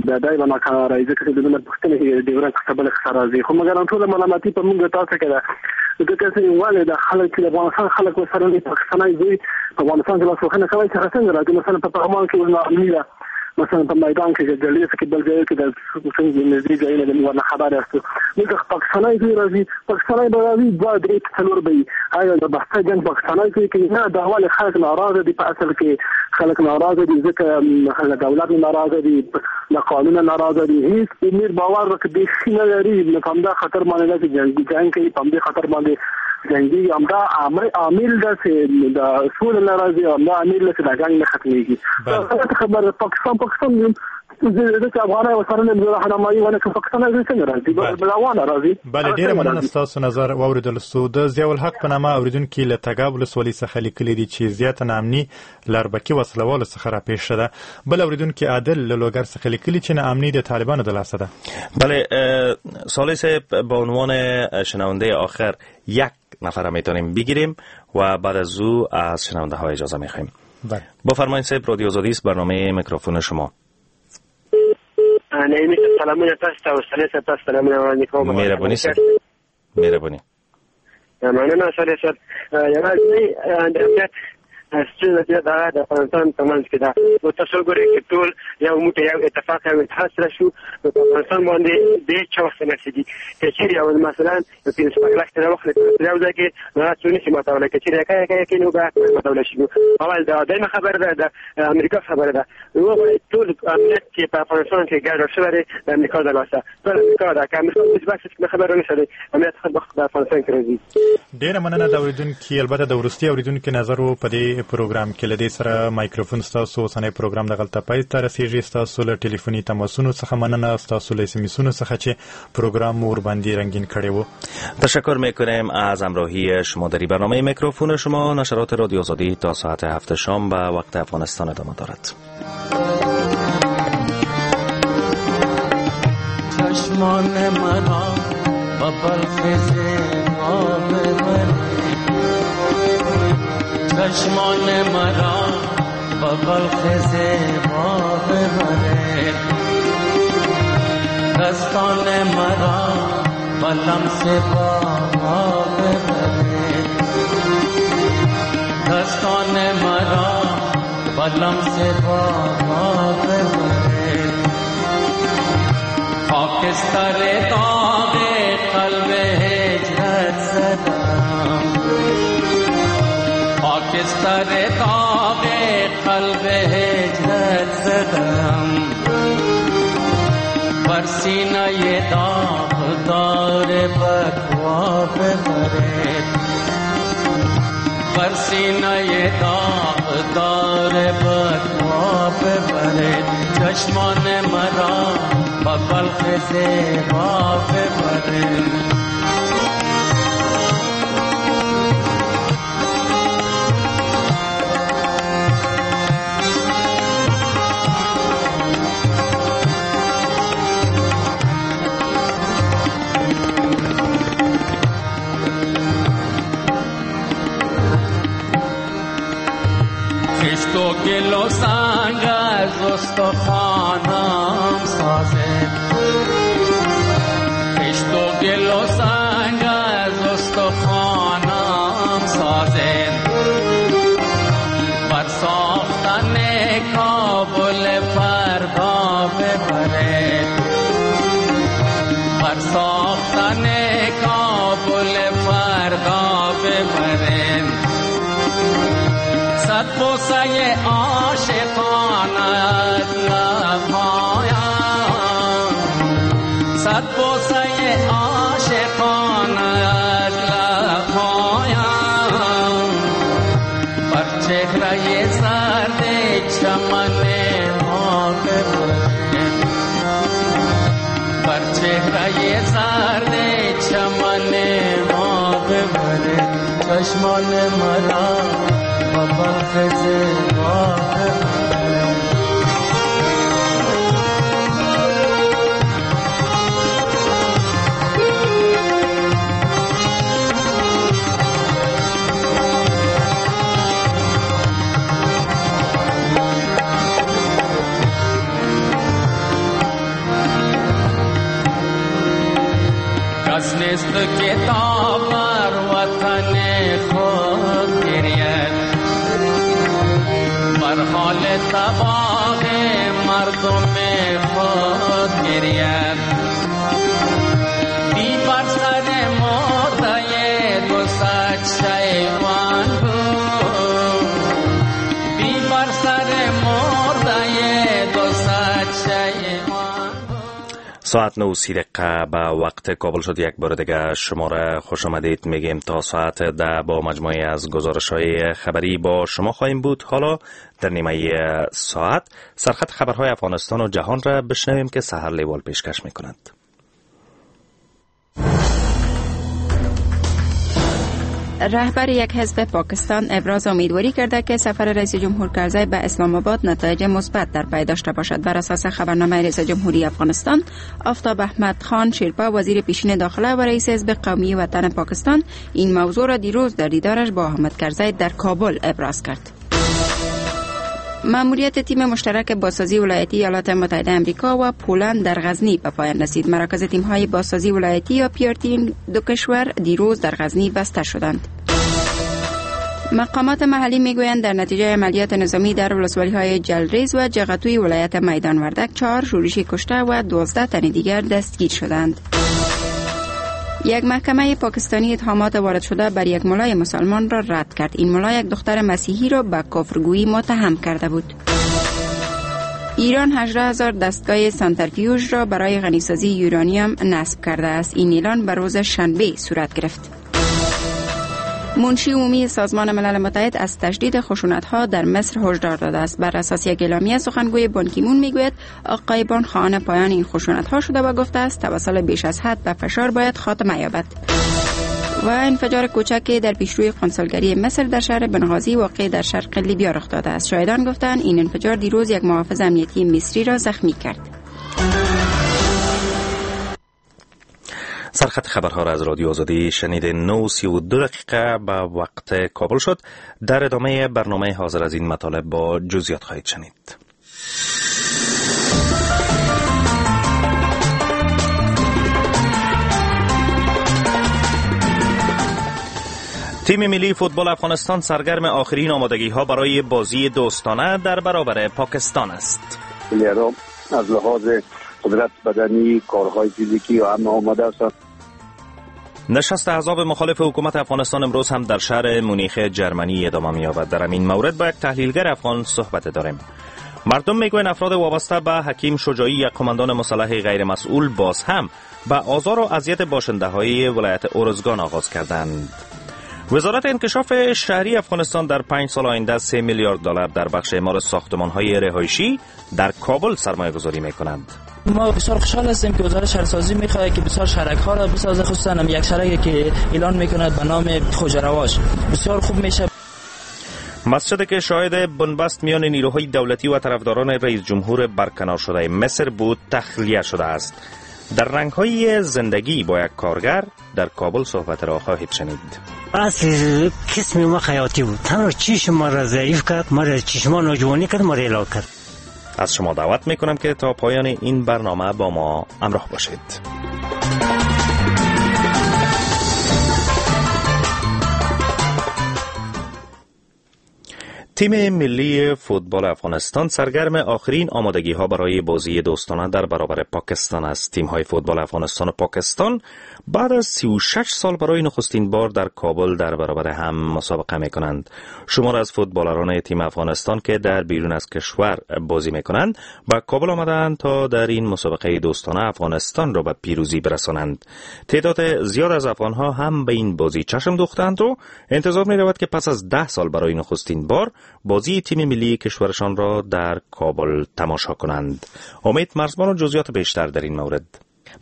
دا دی به ناکراره ځکه چې دونه پوښتنه کې د ورځ څخه بله څخه راځي، خو مګر ټوله ملامتي په موږ تاسو کې ده، ځکه چې ولې د خلک چې د افغانستان خلک ورسره نه پاکستاني دوی په افغانستان کې لاسوهنه کوي چې څنګه راځي. مثلا په پغمان کې ناامني ده، مثلا په میدان کې د کې بل ځای کې د څنګه نږدې ځایونه د موږ نه خبر یاست. دلته پاکستاني دوی راځي، پاکستاني به راځي دوه درې څلور به وي. آیا د بحث جنګ پاکستاني کوي کې نه؟ دا ولې خلک ناراضه دي؟ په اصل کې خلک ناراضه دي ځکه له دولت ناراضه دي، له قانون ناراضه دي، هیڅ امیر باور ورکړي بیخي نه لري. نو په همدا خاطر باندې داسې جنګ جنګ کوي، په همدې خاطر باندې جنګي، همدا عامل ده چې د سولې نه راځي، همدا عامل ده چې دا جنګ نه ختمېږي. غلطه خبره. پاکستان پاکستان ځکه افغانان ورسره نه راهنمایي ونه کوي، پاکستان څنګه راځي؟ روانه راځي. بله ډېره مننه ستاسو نظر واورېدل سو. د ضیاءالحق په نامه اورېدونکي له تګاب ولسوالۍ څخه لیکلي دي چې زیاته ناامني له اربکي وسلهوالو څخه راپېښه ده. بل اورېدونکي عادل له لوګر څخه لیکلي چې ناامني د طالبانو د لاسه ده. بله صالح صاحب، به عنوان شنونده آخر یک نفر میتونیم بگیریم و بعد از او از شنونده ها اجازه میخوایم. بله بفرمایید صاحب، رادیو آزادی است، برنامه میکروفون شما. نعیمي صاحب سلامونه تاسو ته او صالح صاحب تاسو سلامونه وړاندې کوم. مهرباني صاحب، مهرباني. مننه صالح صاحب. یوازې د امنیت ستونزه چې ده د افغانستان په منځ کې ده، نو تاسو ګورئ چې ټول یو موټی یو اتفاق یو اتحاد سره شو، نو په افغانستان باندې د هېڅ چا وخت نه رسېږي. که چېرې یو مثلا یو پنځه شپږ لک ته راوخلې په یو ځای کې، نو هغه څوک نشي ماتولی. که چېرې یکه یکه یکې نو به ماتولی شي. اول دا درېیمه خبره ده، د امریکا خبره ده. وګورئ ټول امنیت چې په افغانستان کې ګډوډ شوی دی د امریکا د لاسه، ټول امریکا ده. که امریکا اوس بس کومه خبره نه شي، امنیت خود به خود په افغانستان کې راځي. ډېره مننه د اورېدونکي، البته د وروستي اورېدونکي نظر و په دې پروګرام کې. له دې سره مایکروفون ستاسو اوسنی پروګرام دغلته پای ته رسېږي. ستاسو له ټلیفوني تماسونو څخه مننه، ستاسو له اس ام اسونو څخه چې پروګرام مو ورباندې رنگین کړی و. تشکر میکنیم از همراهی شما در برنامه میکروفون شما. نشرات رادیو آزادی تا ساعت هفت شام به وقت افغانستان ادامه دارد. چشمان مرا با بلخ زیبا ببر، چشمان مرا با بلخ زیبا ببره، دستان مرا با لمس بابا ببره، دستان مرا با لمس بابا ببره، خاکستر داغ قلب هجرت زدم، خاکستر داغ قلب هجرت زدم، بر سینه داغ دار بکوا ببره، بر سینه داغ دار بکوا ببره، چشمان مرا با بلخ زیبا ببره. خشت و گل و سنگ از استخوانم سازد، خشت و گل و سنگ از استخوانم سازد، بر ساختن کابل فردا ببرد، بر ساختن کابل فردا ببرد، صد بوسه عاشقانت لبهایم، صد بوسه عاشقانت لبهایم، بر چهره زرد چمن ما ببرد، بر چهره زرد چمن ما ببرد، چشمان مرا با بلخ زیبا ببرد. مثل کتاب بر وطن خود گرید، بر حال تباه مردم خود گرید. بی بر سر مرده دو صد شیوان بود، بی بر سر مرده دو صد شیوان. ساعت نه و سی دقیقه به وقت کابل شد. یک بار دیگه شما را خوش آمدید میگیم. تا ساعت ده با مجموعه از گزارش های خبری با شما خواهیم بود. حالا در نیمه ساعت سرخط خبرهای افغانستان و جهان را بشنویم که سحر لیوال پیشکش میکند. رهبر یک حزب پاکستان ابراز امیدواری کرده که سفر رئیس جمهور کرزی به اسلام آباد نتایج مثبت در پی داشته باشد. بر اساس خبرنامه رئیس جمهوری افغانستان، آفتاب احمد خان شیرپا وزیر پیشین داخله و رئیس حزب قومی وطن پاکستان این موضوع را دیروز در دیدارش با احمد کرزی در کابل ابراز کرد. مأموریت تیم مشترک بازسازی ولایتی ایالات متحده آمریکا و پولند در غزنی به پایان رسید. مراکز تیم‌های بازسازی ولایتی یا پی آر تی دو کشور دیروز در غزنی بسته شدند. مقامات محلی میگویند در نتیجه عملیات نظامی در ولسوالی‌های جلریز و جغتوی ولایت میدان وردک چهار شورشی کشته و دوازده تن دیگر دستگیر شدند. یک محکمه پاکستانی اتهامات وارد شده بر یک ملای مسلمان را رد کرد. این ملا یک دختر مسیحی را به کفرگویی متهم کرده بود. ایران هجده هزار دستگاه سانترفیوژ را برای غنیسازی یورانیم نصب کرده است. این اعلان به روز شنبه صورت گرفت. منشی عمومی سازمان ملل متحد از تشدید خشونت‌ها در مصر هشدار داده است. بر اساس یک اعلامیه سخنگوی بان کی مون میگوید آقای بان خواهان پایان این خشونت‌ها شده و گفته است توسل بیش از حد به فشار باید خاتمه یابد. و انفجار کوچکی در پیشروی قنسولگری مصر در شهر بنغازی واقع در شرق لیبیا رخ داده است. شاهدان گفتند این انفجار دیروز یک محافظ امنیتی مصری را زخمی کرد. سرخط خبرها را از رادیو آزادی شنید. نه و سی و دو دقیقه به وقت کابل شد. در ادامه برنامه حاضر از این مطالب با جزئیات خواهید شنید. تیم ملی فوتبال افغانستان سرگرم آخرین آمادگی ها برای بازی دوستانه در برابر پاکستان است. از لحاظ قدرت بدنی، کارهای فیزیکی و همه آماده است. نشست احزاب مخالف حکومت افغانستان امروز هم در شهر مونیخ جرمنی ادامه می‌یابد. در این مورد با یک تحلیلگر افغان صحبت داریم. مردم میگویند افراد وابسته به حکیم شجاعی، یک قماندان مسلح غیر مسئول، باز هم به آزار و اذیت باشنده‌های ولایت ارزگان آغاز کردند. وزارت انکشاف شهری افغانستان در پنج سال آینده سه میلیارد دلار در بخش اعمار ساختمان‌های رهایشی در کابل سرمایه‌گذاری می‌کنند. ما بسیار خوشحال هستیم که وزارت شهرسازی میخواد که بسیار شهرک ها را بسازه، خصوصا هم یک شهرکی که اعلان میکند به نام خوجرواش بسیار خوب میشه. مسجد که شاهد بنبست میان نیروهای دولتی و طرفداران رئیس جمهور برکنار شده مصر بود تخلیه شده است. در رنگ‌های زندگی با یک کارگر در کابل صحبت را خواهید شنید. اصل قسم ما خیاطی بود. تنها چشم ما را ضعیف کرد، ما را چشمان نوجوانی کرد، ما را اعلا کرد. از شما دعوت میکنم که تا پایان این برنامه با ما همراه باشید. تیم ملی فوتبال افغانستان سرگرم آخرین آمادگی ها برای بازی دوستانه در برابر پاکستان است. تیم های فوتبال افغانستان و پاکستان بعد از سی و شش سال برای نخستین بار در کابل در برابر هم مسابقه می کنند. شمار از فوتبالران تیم افغانستان که در بیرون از کشور بازی می کنند به کابل آمدند تا در این مسابقه دوستانه افغانستان را به پیروزی برسانند. تعداد زیاد از افغان ها هم به این بازی چشم دوختند و انتظار می رود که پس از ده سال برای نخستین بار بازی تیم ملی کشورشان را در کابل تماشا کنند. امید مرزبان و جزئیات بیشتر در این مورد.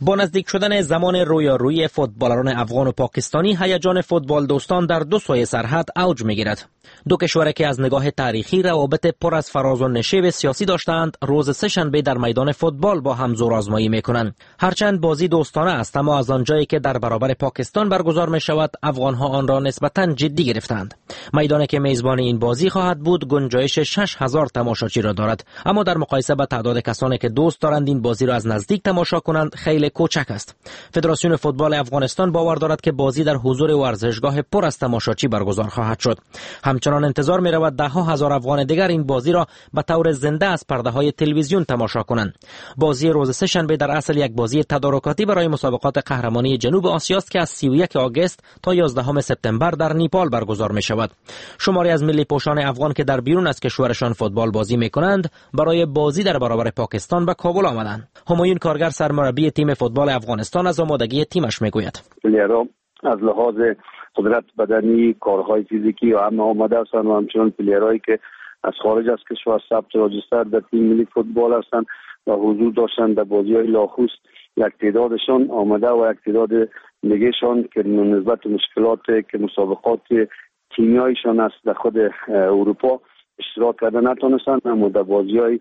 با نزدیک شدن زمان رویارویی فوتبالران افغان و پاکستانی، هیجان فوتبال دوستان در دو سوی سرحد اوج میگیرد. دو کشور که از نگاه تاریخی روابط پر از فراز و نشیب سیاسی داشتند، روز سه شنبه در میدان فوتبال با هم زورآزمایی میکنند. هرچند بازی دوستانه است، اما از آنجایی که در برابر پاکستان برگزار میشود، افغانها آن را نسبتاً جدی گرفتند. میدانی که میزبان این بازی خواهد بود، گنجایش شش هزار تماشاچی را دارد، اما در مقایسه با تعداد کسانی که دوست دارند این بازی را از نزدیک تماشا کنند، خیلی خیلی کوچک است. فدراسیون فوتبال افغانستان باور دارد که بازی در حضور ورزشگاه پر از تماشاچی برگزار خواهد شد. همچنان انتظار می رود ده ها هزار افغان دیگر این بازی را به طور زنده از پرده های تلویزیون تماشا کنند. بازی روز سه‌شنبه در اصل یک بازی تدارکاتی برای مسابقات قهرمانی جنوب آسیا است که از سی و یکم آگوست تا یازدهم سپتامبر در نیپال برگزار می شود. شماری از ملی پوشان افغان که در بیرون از کشورشان فوتبال بازی می کنند برای بازی در برابر پاکستان به کابل آمدند. همایون کارگر سرمربی تیم فوتبال افغانستان از آمادگی تیمش می گوید: از لحاظ قدرت بدنی، کارهای فیزیکی و همه آماده هستند و همچنان پلیرهایی که از خارج از کشور ثبت register در تیم ملی فوتبال هستند و حضور داشتند در بازی‌های لاخوست، یک تعدادشان آماده و یک تعداد دیگهشان که نسبت مشکلات که مسابقات تیمیایشان است در خود اروپا اشتراک کرده نتونستند، اما در بازی‌های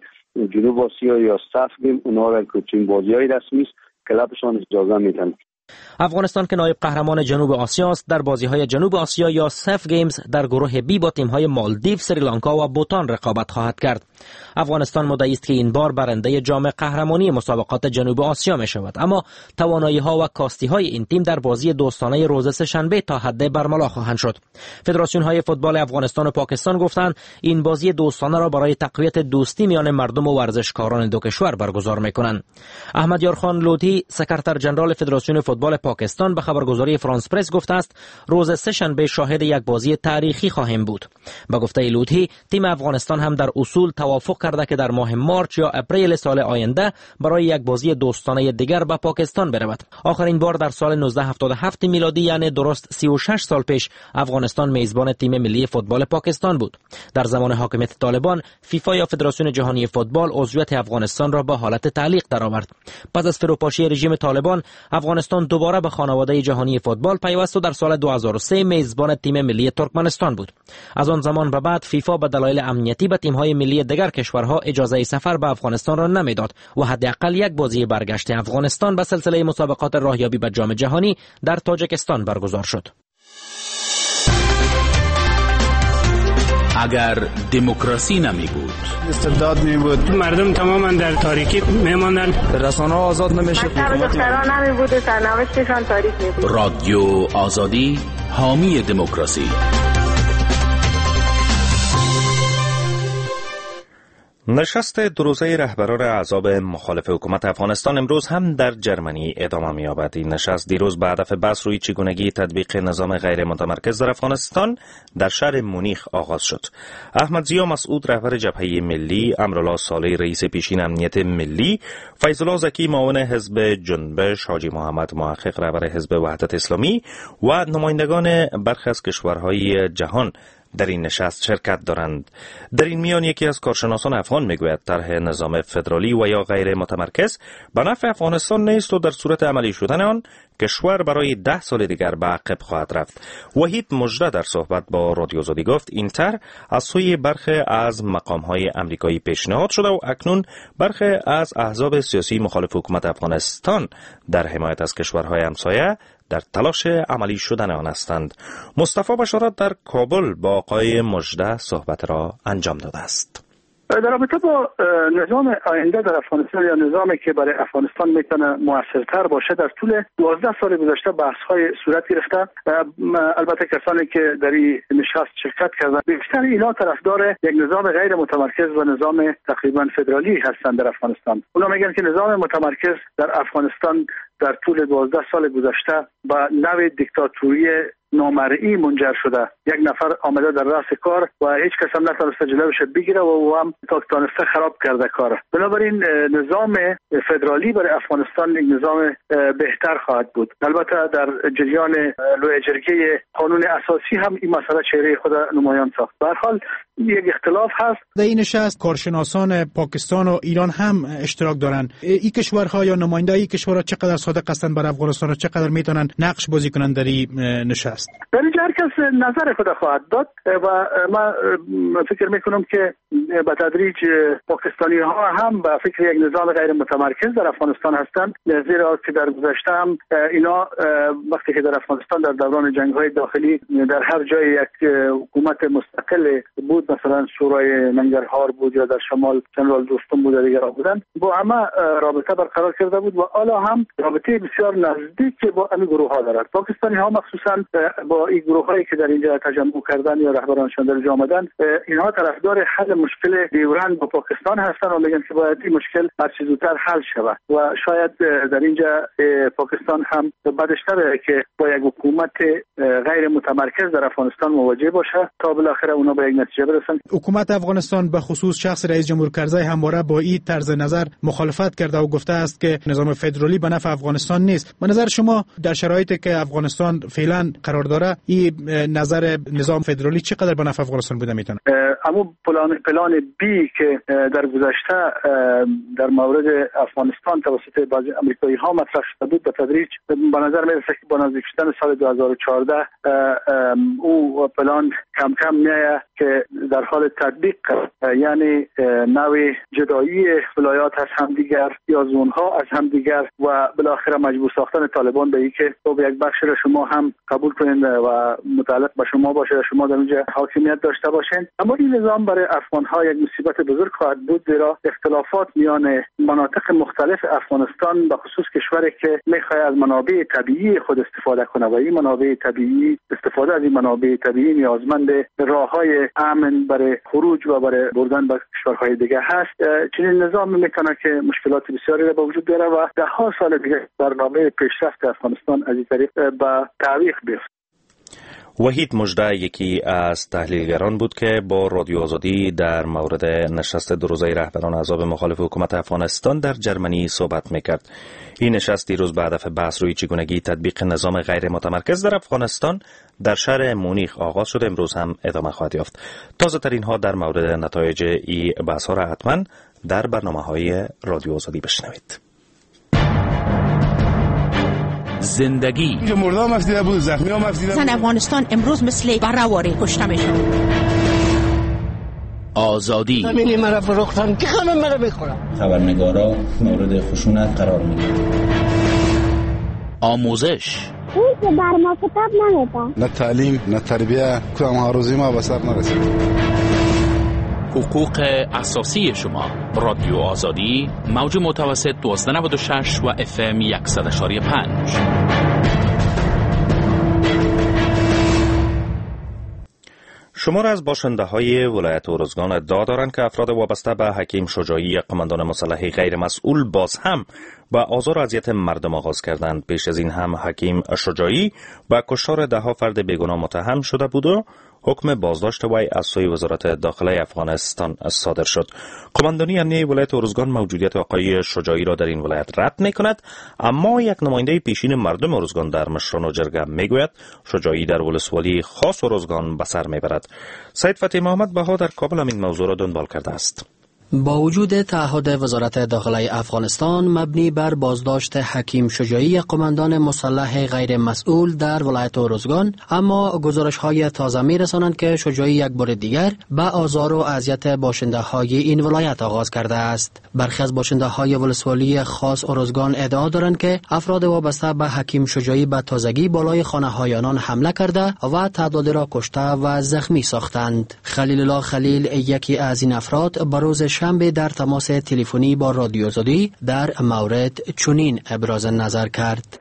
جنوب آسیا یا SAFF Game اونها را که تیم بازی‌های رسمی است کلبشان اجازه میدن. افغانستان که نایب قهرمان جنوب آسیا است در بازی‌های جنوب آسیا یا SAFF Games در گروه بی با تیم‌های مالدیو، سریلانکا و بوتان رقابت خواهد کرد. افغانستان مدعی است که این بار برنده جام قهرمانی مسابقات جنوب آسیا می شود، اما توانایی‌ها و کاستی‌های این تیم در بازی دوستانه روز سه‌شنبه تا حد برملا خواهند شد. فدراسیون‌های فوتبال افغانستان و پاکستان گفتند این بازی دوستانه را برای تقویت دوستی میان مردم و ورزشکاران دو کشور برگزار می‌کنند. احمد یارخان لودھی، سکرتر جنرال فدراسیون فوتبال پاکستان، به خبرگزاری فرانس پرس گفته است روز سه‌شنبه شاهد یک بازی تاریخی خواهیم بود. به گفته لودھی تیم افغانستان هم در اصول توافق کرده که در ماه مارچ یا اپریل سال آینده برای یک بازی دوستانه دیگر به پاکستان برود. آخرین بار در سال نوزده هفتاد و هفت میلادی، یعنی درست سی و شش سال پیش، افغانستان میزبان تیم ملی فوتبال پاکستان بود. در زمان حاکمیت طالبان، فیفا یا فدراسیون جهانی فوتبال عضویت افغانستان را به حالت تعلیق درآورد. پس از فروپاشی رژیم طالبان، افغانستان دوباره به خانواده جهانی فوتبال پیوست و در سال دو هزار و سه میزبان تیم ملی ترکمنستان بود. از آن زمان به بعد فیفا به دلایل امنیتی به تیم‌های ملی دیگر کشورها اجازه سفر به افغانستان را نمیداد و حداقل یک بازی برگشت افغانستان به سلسله مسابقات راهیابی به جام جهانی در تاجیکستان برگزار شد. اگر دموکراسی نمی بود، استبداد می بود، مردم تماما در تاریکی میماندند، رسانه آزاد نمیشد، دختران نمی بود، سرنوشتشان تاریک می بود. رادیو آزادی حامی دموکراسی. نشست دو روزه رهبران احزاب مخالف حکومت افغانستان امروز هم در جرمنی ادامه می‌یابد. این نشست دیروز به هدف بحث روی چگونگی تطبیق نظام غیر متمرکز در افغانستان در شهر مونیخ آغاز شد. احمد ضیا مسعود رهبر جبهه ملی، امرالله صالح رئیس پیشین امنیت ملی، فیض الله ذکی معاون حزب جنبش، حاجی محمد محقق رهبر حزب وحدت اسلامی و نمایندگان برخی از کشورهای جهان در این نشست شرکت دارند. در این میان یکی از کارشناسان افغان میگوید طرح نظام فدرالی و یا غیر متمرکز به نفع افغانستان نیست و در صورت عملی شدن آن کشور برای ده سال دیگر به عقب خواهد رفت. وحید مژده در صحبت با رادیو آزادی گفت این طرح از سوی برخی از مقام‌های امریکایی پیشنهاد شده و اکنون برخی از احزاب سیاسی مخالف حکومت افغانستان در حمایت از کشورهای همسایه در تلاش عملی شدن آن هستند. مصطفی بشارت در کابل با آقای مژده صحبت را انجام داده است. در رابطه با نظام آینده در افغانستان یا نظامی که برای افغانستان میتونه موثرتر باشه، در طول دوازده سال گذشته بحث‌های صورت گرفته. البته کسانی که در این نشست شرکت کردند بیشتر اینا طرفدار یک نظام غیر متمرکز و نظام تقریبا فدرالی هستند در افغانستان. اونا میگن که نظام متمرکز در افغانستان در طول دوازده سال گذشته به نوع دیکتاتوری نامرئی منجر شده. یک نفر آمده در رأس کار و هیچ کس هم نتونسته جلوش بگیره و او هم تا تانسته خراب کرده کار. بنابراین نظام فدرالی برای افغانستان یک نظام بهتر خواهد بود. البته در جریان لویه جرگه قانون اساسی هم این مسئله چهره خود نمایان ساخت. به هر حال یک اختلاف هست. در این نشست کارشناسان پاکستان و ایران هم اشتراک دارند. این کشورها یا نماینده این کشورها چقدر صادق هستند بر افغانستان و چقدر میتونن نقش بازی کنند در این نشست؟ در اینجا هر کس نظر خود خواهد داد و من فکر میکنم که به تدریج پاکستانی ها هم به فکر یک نظام غیر متمرکز در افغانستان هستند، زیرا که در گذشته هم اینا وقتی که در افغانستان در دوران جنگ های داخلی در هر جای یک حکومت مستقل بود بود، مثلا شورای ننگرهار بود یا در شمال جنرال دوستم بود و دیگران بودن، با همه رابطه برقرار کرده بود و حالا هم رابطه بسیار نزدیک با همین گروه ها دارد. پاکستانی ها مخصوصا با این گروه هایی که در اینجا تجمع کردن یا رهبرانشان در اینجا آمدن، اینها طرفدار حل مشکل دیورند با پاکستان هستند و میگن که باید این مشکل هر چه زودتر حل شود و شاید در اینجا پاکستان هم بدش نباید که با یک حکومت غیر متمرکز در افغانستان مواجه باشه تا بالاخره اونا به یک نتیجه برسن. حکومت افغانستان به خصوص شخص رئیس جمهور کرزی همواره با این طرز نظر مخالفت کرده و گفته است که نظام فدرالی به نفع افغانستان نیست. به نظر شما در شرایطی که افغانستان فعلا قرار داره، این نظر نظام فدرالی چقدر به نفع افغانستان بوده میتونه؟ اما پلان پلان بی که در گذشته در مورد افغانستان توسط بعضی امریکایی ها مطرح شده بود، به تدریج به نظر میرسه که با نزدیک شدن سال دو هزار و چهارده او پلان کم کم میآید که در حال تطبیق، یعنی نوع جدایی ولایات از همدیگر یا زونها از همدیگر و بالاخره مجبور ساختن طالبان به اینکه خب یک بخش را شما هم قبول کنین و متعلق به شما باشه، شما در اونجا حاکمیت داشته باشین. اما این نظام برای افغان ها یک مصیبت بزرگ خواهد بود، زیرا اختلافات میان مناطق مختلف افغانستان به خصوص کشوری که میخواد از منابع طبیعی خود استفاده کنه و این منابع طبیعی استفاده از این منابع طبیعی نیازمند راه‌های امن برای خروج و برای بردن به کشورهای دیگه هست. چنین نظام میتونه که مشکلات بسیاری را به وجود بیاره و ده ها سال دیگه برنامه پیشرفت افغانستان از این طریق به تعویق بیفته. وحید مژده یکی از تحلیلگران بود که با رادیو آزادی در مورد نشست دو روزه رهبران احزاب مخالف حکومت افغانستان در جرمنی صحبت میکرد. این نشست دیروز به هدف بحث روی چگونگی تطبیق نظام غیر متمرکز در افغانستان در شهر مونیخ آغاز شد، امروز هم ادامه خواهد یافت. تازه ترین ها در مورد نتایج این بحث ها را حتما در برنامه های رادیو آزادی بشنوید. زندگی اینجا مرده هم افزیده بود، زخمی هم افزیده بود. زن افغانستان امروز مثل براواری کشته میشه. آزادی زمینی مرا فروختن که خانم مرا بخورم. خبرنگارا مورد خشونت قرار میگیرند. آموزش او که بر ما کتاب نمیده، نه تعلیم نه تربیه، کدام آرزوی ما به سر نرسید. حقوق اساسی شما، رادیو آزادی، موج متوسط دوازده نود و شش و اف ام صد و پنج. شمار از باشنده های ولایت ارزگان ادعا دارند که افراد وابسته به حکیم شجاعی، قماندان مسلح غیر مسئول، باز هم به آزار و اذیت مردم آغاز کردند. پیش از این هم حکیم شجاعی به کشتار ده ها فرد بیگناه متهم شده بود و حکم بازداشت وی از سوی وزارت داخله افغانستان صادر شد. قماندانی امنیه ولایت ارزگان موجودیت آقای شجاعی را در این ولایت رد می کند، اما یک نماینده پیشین مردم ارزگان در مشران و جرگه می گوید شجاعی در ولسوالی خاص ارزگان به سر می برد. سید فتح محمد بها در کابل هم این موضوع را دنبال کرده است. با وجود تعهد وزارت داخله افغانستان مبنی بر بازداشت حکیم شجاعی، قماندان مسلح غیر مسئول در ولایت ارزگان، اما گزارش های تازه می رسانند که شجاعی یک بار دیگر به آزار و اذیت باشنده های این ولایت آغاز کرده است. برخی از باشنده های ولسوالی خاص ارزگان ادعا دارند که افراد وابسته به حکیم شجاعی به تازگی بالای خانه های آنان حمله کرده و تعدادی را کشته و زخمی ساختند. خلیل الله خلیل یکی از این افراد به روز شنبه در تماس تلفنی با رادیو آزادی در مورد چنین ابراز نظر کرد.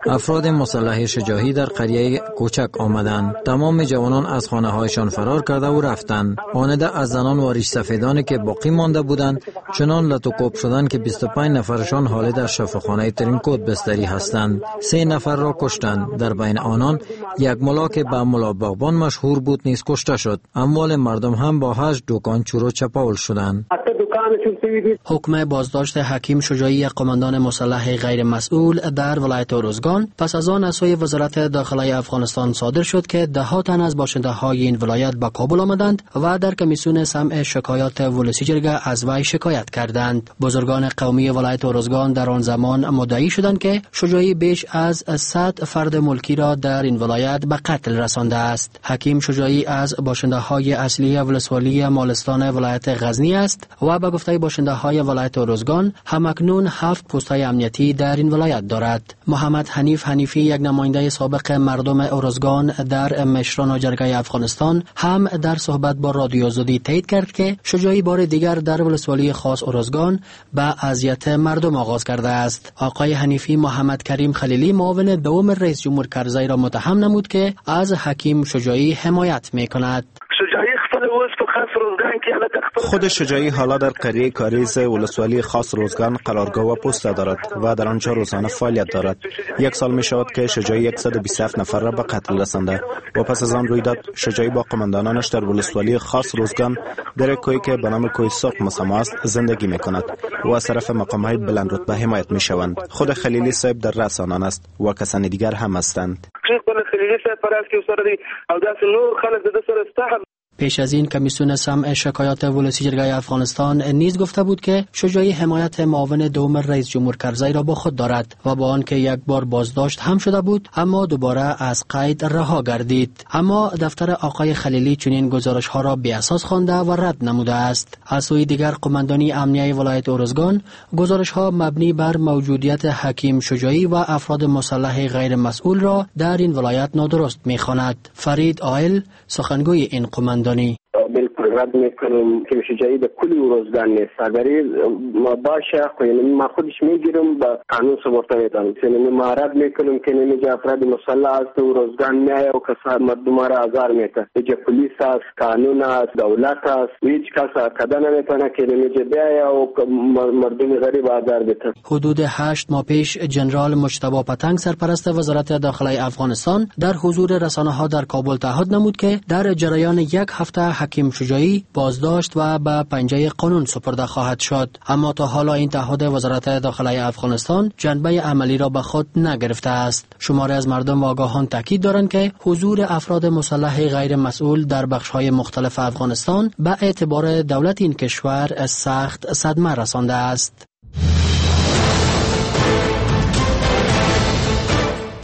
افراد مسلح شجاعی در قریه کوچک آمدند. تمام جوانان از خانه هایشان فرار کرده و رفتند. آنده از زنان و ریش سفیدانی که باقی مانده بودند چنان لت و کوب شدند که بیست و پنج نفرشان حال در شفاخانه ترینکوت بستری هستند. سه نفر را کشتند. در بین آنان یک ملا که به ملا باغبان مشهور بود نیز کشته شد. اموال مردم هم با هشت دکان چور و چپاول شدند. حکم بازداشت حکیم شجاعی، قماندان مسلح غیر مسئول در ولایت ارزگان، پس از آن از سوی وزارت داخله افغانستان صادر شد که ده ها تن از باشنده های این ولایت به کابل آمدند و در کمیسیون سمع شکایات ولسی جرگه از وی شکایت کردند. بزرگان قومی ولایت ارزگان در آن زمان مدعی شدند که شجاعی بیش از صد فرد ملکی را در این ولایت به قتل رسانده است. حکیم شجاعی از باشنده های اصلی ولسوالی مالستان ولایت غزنی است و به گفته باشنده های ولایت ارزگان همکنون هفت پست‌های امنیتی در این ولایت دارد. محمد حنیف حنیفی، یک نماینده سابق مردم ارزگان در مشران و جرگه افغانستان، هم در صحبت با رادیو آزادی تایید کرد که شجاعی بار دیگر در ولسوالی خاص ارزگان به اذیت مردم آغاز کرده است. آقای حنیفی محمد کریم خلیلی، معاون دوم رئیس جمهور کرزی را متهم نمود که از حکیم شجاعی حمایت می کند. خود شجاعی حالا در قریه کاریز ولسوالی خاص روزگان قرارگاه و پست دارد و در آنجا روزانه فعالیت دارد. یک سال می شود که شجاعی صد و بیست و هفت نفر را به قتل رسانده و پس از آن رویداد شجاعی با قماندانانش در ولسوالی خاص روزگان در کوهی که به نام کوه سرخ مسما است زندگی می کند و از طرف مقام های بلند رتبه حمایت می شوند. خود خلیلی صاحب در رأس آنان است و کسان دیگر هم هستند. پیش از این کمیسیون سمع شکایات ولسی جرگه افغانستان نیز گفته بود که شجاعی حمایت معاون دوم رئیس جمهور کرزی را با خود دارد و با آنکه یک بار بازداشت هم شده بود اما دوباره از قید رها گردید. اما دفتر آقای خلیلی چنین گزارش ها را بی اساس خوانده و رد نموده است. از سوی دیگر قماندانی امنیه ولایت ارزگان گزارش ها مبنی بر موجودیت حکیم شجاعی و افراد مسلح غیر مسئول را در این ولایت نادرست می‌خواند. فرید آیل، سخنگوی این قماندانی: بالکل رد میکنم که شجاعی به کلی روزگان نیست. اگر ما باشه خو یعنی ما خودش میگیرم با قانون سپرده میتونم. یعنی ما رد میکنم که نمیجا افراد مسلح است و روزگان میایه و کسا مردم را آزار میده. اینجا پلیس است، قانون است، دولت است، هیچ کس کده نمیتونه که نمیجا بیایه و مردم غریب آزار بده. حدود هشت ماه پیش جنرال مجتبی پتنگ، سرپرست وزارت داخله افغانستان، در حضور رسانه ها در کابل تعهد نمود که در جریان یک هفته حکیم شجاعی بازداشت و به پنجه قانون سپرده خواهد شد. اما تا حالا این تعهد وزارت داخله افغانستان جنبه عملی را به خود نگرفته است. شماری از مردم و آگاهان تاکید دارند که حضور افراد مسلح غیر مسئول در بخش‌های مختلف افغانستان به اعتبار دولت این کشور سخت صدمه رسانده است.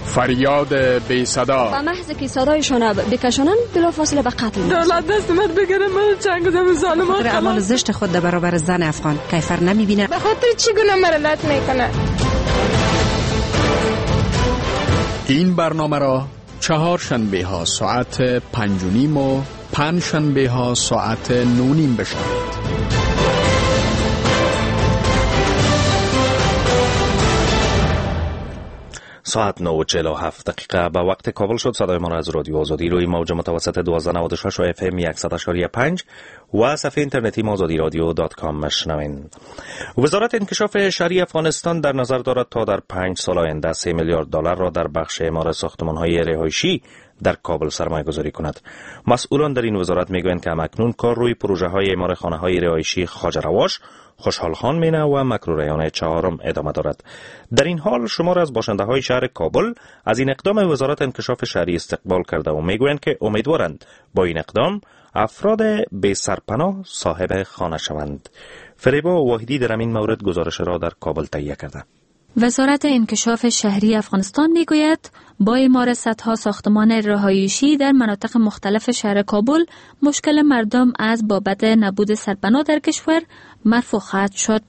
فریاد بی صدا. با محض که صدایشان بکشانند بلافاصله به قتل می‌رسند. دولت دست من بگیره، من چنگ زم ظالمان. خاطر اعمال زشت خود در برابر زن افغان کیفر نمی‌بینه. به خاطر چی گناه مرا لط میکنه؟ این برنامه را چهار شنبه ها ساعت پنج و نیم و پنج شنبه ها ساعت نه و نیم بشنوید. ساعت نه و چهل و هفت دقیقه به وقت کابل شد. صدای ما را از رادیو آزادی روی موج متوسط دوازده نود و شش و اف ام صد و پنج و صفحه اینترنتی آزادی رادیو dot com مشنوین. وزارت انکشاف شهری افغانستان در نظر دارد تا در پنج سال آینده سه میلیارد دلار را در بخش اعمار ساختمان‌های رهایشی در کابل سرمایه گذاری کند. مسئولان در این وزارت میگویند که همکنون کار روی پروژه های اعمار خانه های رهایشی خواجه رواش، خوشحال خان مینه و مکروریان چهارم ادامه دارد. در این حال شمار از باشنده های شهر کابل از این اقدام وزارت انکشاف شهری استقبال کرده و میگویند که امیدوارند با این اقدام افراد بی سرپناه صاحب خانه شوند. فریبا واحدی در این مورد گزارش را در کابل تهیه کرده. وزارت انکشاف شهری افغانستان میگوید با اعمار صدها ساختمان رهایشی در مناطق مختلف شهر کابل مشکل مردم از بابت نبود سرپناه در کشور مرفوع خواهد شد.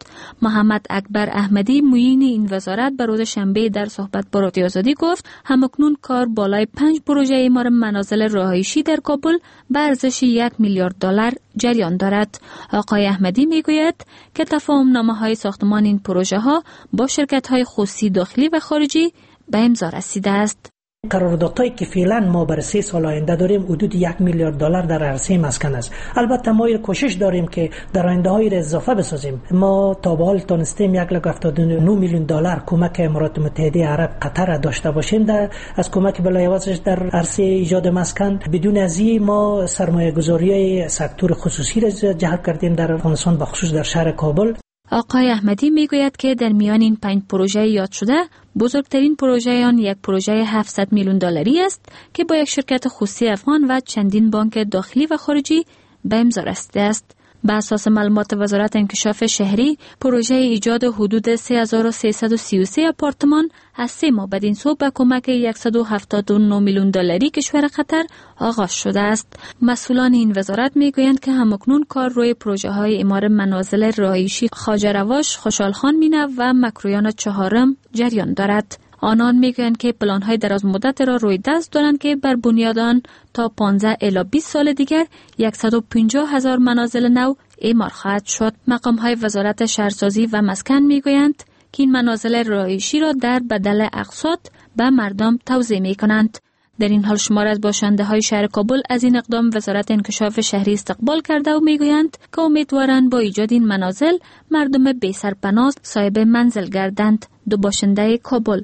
محمد اکبر احمدی معین این وزارت به روز شنبه در صحبت با رادیو آزادی گفت همکنون کار بالای پنج پروژه اعمار منازل رهایشی در کابل به ارزش یک میلیارد دلار جریان دارد. آقای احمدی میگوید که تفاهم نامه های ساختمان این پروژه ها با شرکت های خصوصی داخلی و خارجی به امضا رسیده است. قراردادهایی که فعلا ما برای سه سال آینده داریم حدود یک میلیارد دلار در عرصه مسکن است. البته ما کوشش داریم که در آینده های را اضافه بسازیم. ما تا به حال تونستیم یک لک هفتاد و نه میلیون دلار کمک امارات متحده عرب قطر داشته باشیم در از کمک بلایوازش در عرصه ایجاد مسکن. بدون از این ما سرمایه گذاری سکتور خصوصی را جلب کردیم در افغانستان، به خصوص در شهر کابل. آقای احمدی میگوید که در میان این پنج پروژه یاد شده بزرگترین پروژه آن یک پروژه هفتصد میلیون دلاری است که با یک شرکت خصوصی افغان و چندین بانک داخلی و خارجی به امضا رسیده است. به اساس معلومات وزارت انکشاف شهری، پروژه ایجاد حدود سه هزار و سیصد و سی و سه آپارتمان از سه ماه بدین سو به کمک صد و هفتاد و نه میلیون دلاری کشور قطر آغاز شده است. مسئولان این وزارت میگویند که همکنون کار روی پروژه های اعمار منازل رهایشی خواجه رواش، خوشحال خان مینه و مکرویان چهارم جریان دارد. آنان میگویند که پلان‌های دراز مدت را روی دست دارند که بر بنیاد آن تا پانزده الی بیست سال دیگر صد و پنجاه هزار منازل نو اعمار خواهد شد. مقام‌های وزارت شهرسازی و مسکن میگویند که این منازل رهایشی را در بدل اقساط به مردم توزیع میکنند. در این حال شمار از باشنده های شهر کابل از این اقدام وزارت انکشاف شهری استقبال کرده و میگویند که امیدوارند با ایجاد این منازل مردم بی سرپناه صاحب منزل گردند. دو باشنده کابل: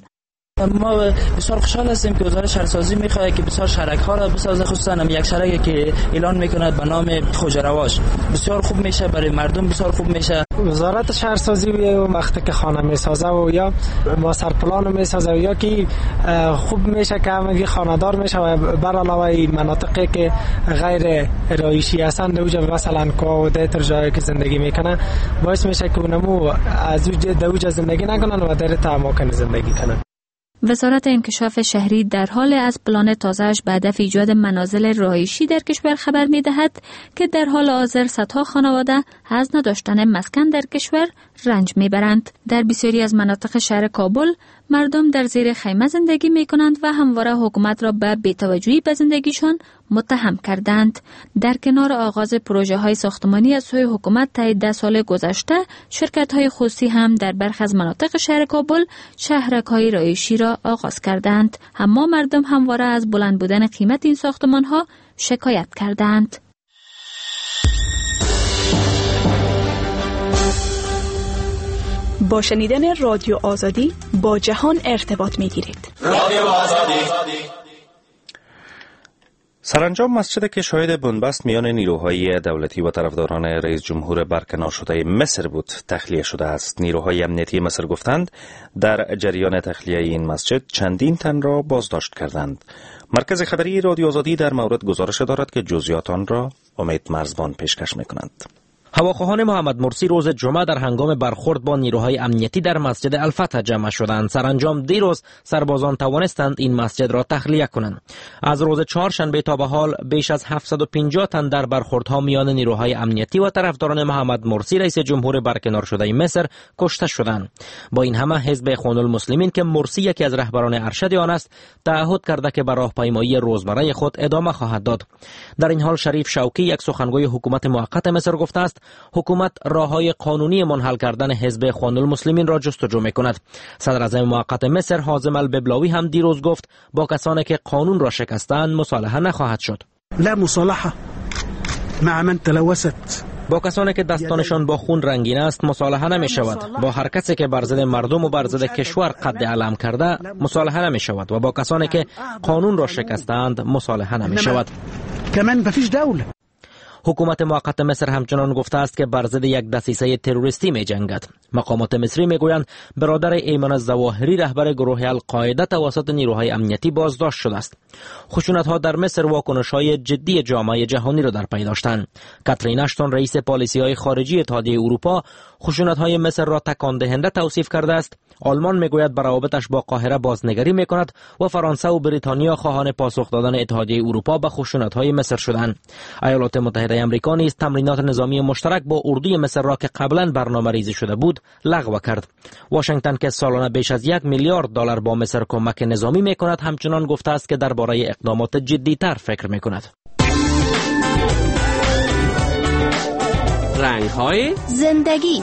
ما بسیار خوشحال هستیم که وزارت شهرسازی میخواد که بسیار شهرک ها را بسازه، خصوصا هم یک شهرکی که اعلان میکند به نام خواجه رواش بسیار خوب میشه برای مردم، بسیار خوب میشه. وزارت شهرسازی وقتی که خانه میسازه و یا ماستر پلان میسازه یا که خوب میشه که همگی خانه‌دار میشه و بر علاوه مناطقی که غیر رایشی هستند اوجا مثلا کوه و دیتر جایی که زندگی میکنه باعث میشه که اونمو از اوجا زندگی نکنن و در اماکن زندگی کنن. وزارت انکشاف شهری در حال از پلان تازه‌اش به هدف ایجاد منازل رهایشی در کشور خبر می‌دهد که در حال حاضر صدها خانواده از نداشتن مسکن در کشور رنج می‌برند. در بسیاری از مناطق شهر کابل مردم در زیر خیمه زندگی می‌کنند و همواره حکومت را به بی‌توجهی به زندگیشان متهم کردند. در کنار آغاز پروژه‌های ساختمانی از سوی حکومت طی ده سال گذشته، شرکت‌های خصوصی هم در برخی از مناطق شهر کابل شهرک‌های رهایشی را آغاز کردند. اما مردم همواره از بلند بودن قیمت این ساختمان‌ها شکایت کردند. با شنیدن رادیو آزادی با جهان ارتباط می‌گیرید. رادیو آزادی. سرانجام مسجد که شاهد بنبست میان نیروهای دولتی و طرفداران رئیس جمهور برکنار شده مصر بود تخلیه شده است. نیروهای امنیتی مصر گفتند در جریان تخلیه این مسجد چندین تن را بازداشت کردند. مرکز خبری رادیو آزادی در مورد گزارش دارد که جزئیات آن را امید مرزبان پیشکش می‌کنند. هواخواهان محمد مرسی روز جمعه در هنگام برخورد با نیروهای امنیتی در مسجد الفتح جمع شدند. سرانجام دیروز سربازان توانستند این مسجد را تخلیه کنند. از روز چهارشنبه تا به حال بیش از هفتصد و پنجاه تن در برخوردها میان نیروهای امنیتی و طرفداران محمد مرسی رئیس جمهور برکنار شده مصر کشته شدند. با این همه حزب اخوان المسلمین که مرسی یکی از رهبران ارشد آن است تعهد کرده که به راهپیمایی روزمره خود ادامه خواهد داد. در این حال شریف شوکی یک سخنگوی حکومت موقت مصر گفته است حکومت راه‌های قانونی منحل کردن حزب اخوان المسلمین را جستجو می‌کند. صدر اعظم موقت مصر حازم الببلاوی هم دیروز گفت با کسانی که قانون را شکستند مصالحه نخواهد شد. لا مصالحه مع من تلوثت. با کسانی که دستانشان با خون رنگین است مصالحه نمی شود. با هر کسی که بر ضد مردم و بر ضد کشور قد علم کرده مصالحه نمی شود و با کسانی که قانون را شکستند مصالحه نمی شود. حکومت موقت مصر همچنان گفته است که بر ضد یک دسیسه تروریستی می جنگد. مقامات مصری می گویند برادر ایمن الظواهری رهبر گروه القاعده توسط نیروهای امنیتی بازداشت شده است. خشونت ها در مصر واکنش های جدی جامعه جهانی را در پی داشتند. کاترین اشتون رئیس پالیسی های خارجی اتحادیه اروپا خشونت های مصر را تکان دهنده توصیف کرده است. آلمان میگوید بر روابطش با قاهره بازنگری میکند و فرانسه و بریتانیا خواهان پاسخ دادن اتحادیه اروپا به خشونت های مصر شدند. ایالات متحده آمریکا نیز تمرینات نظامی مشترک با اردوی مصر را که قبلا برنامه‌ریزی شده بود لغو کرد. واشنگتن که سالانه بیش از یک میلیارد دلار با مصر کمک نظامی میکند همچنان گفته است که درباره اقدامات جدی‌تر فکر میکند. رنگ‌های زندگی.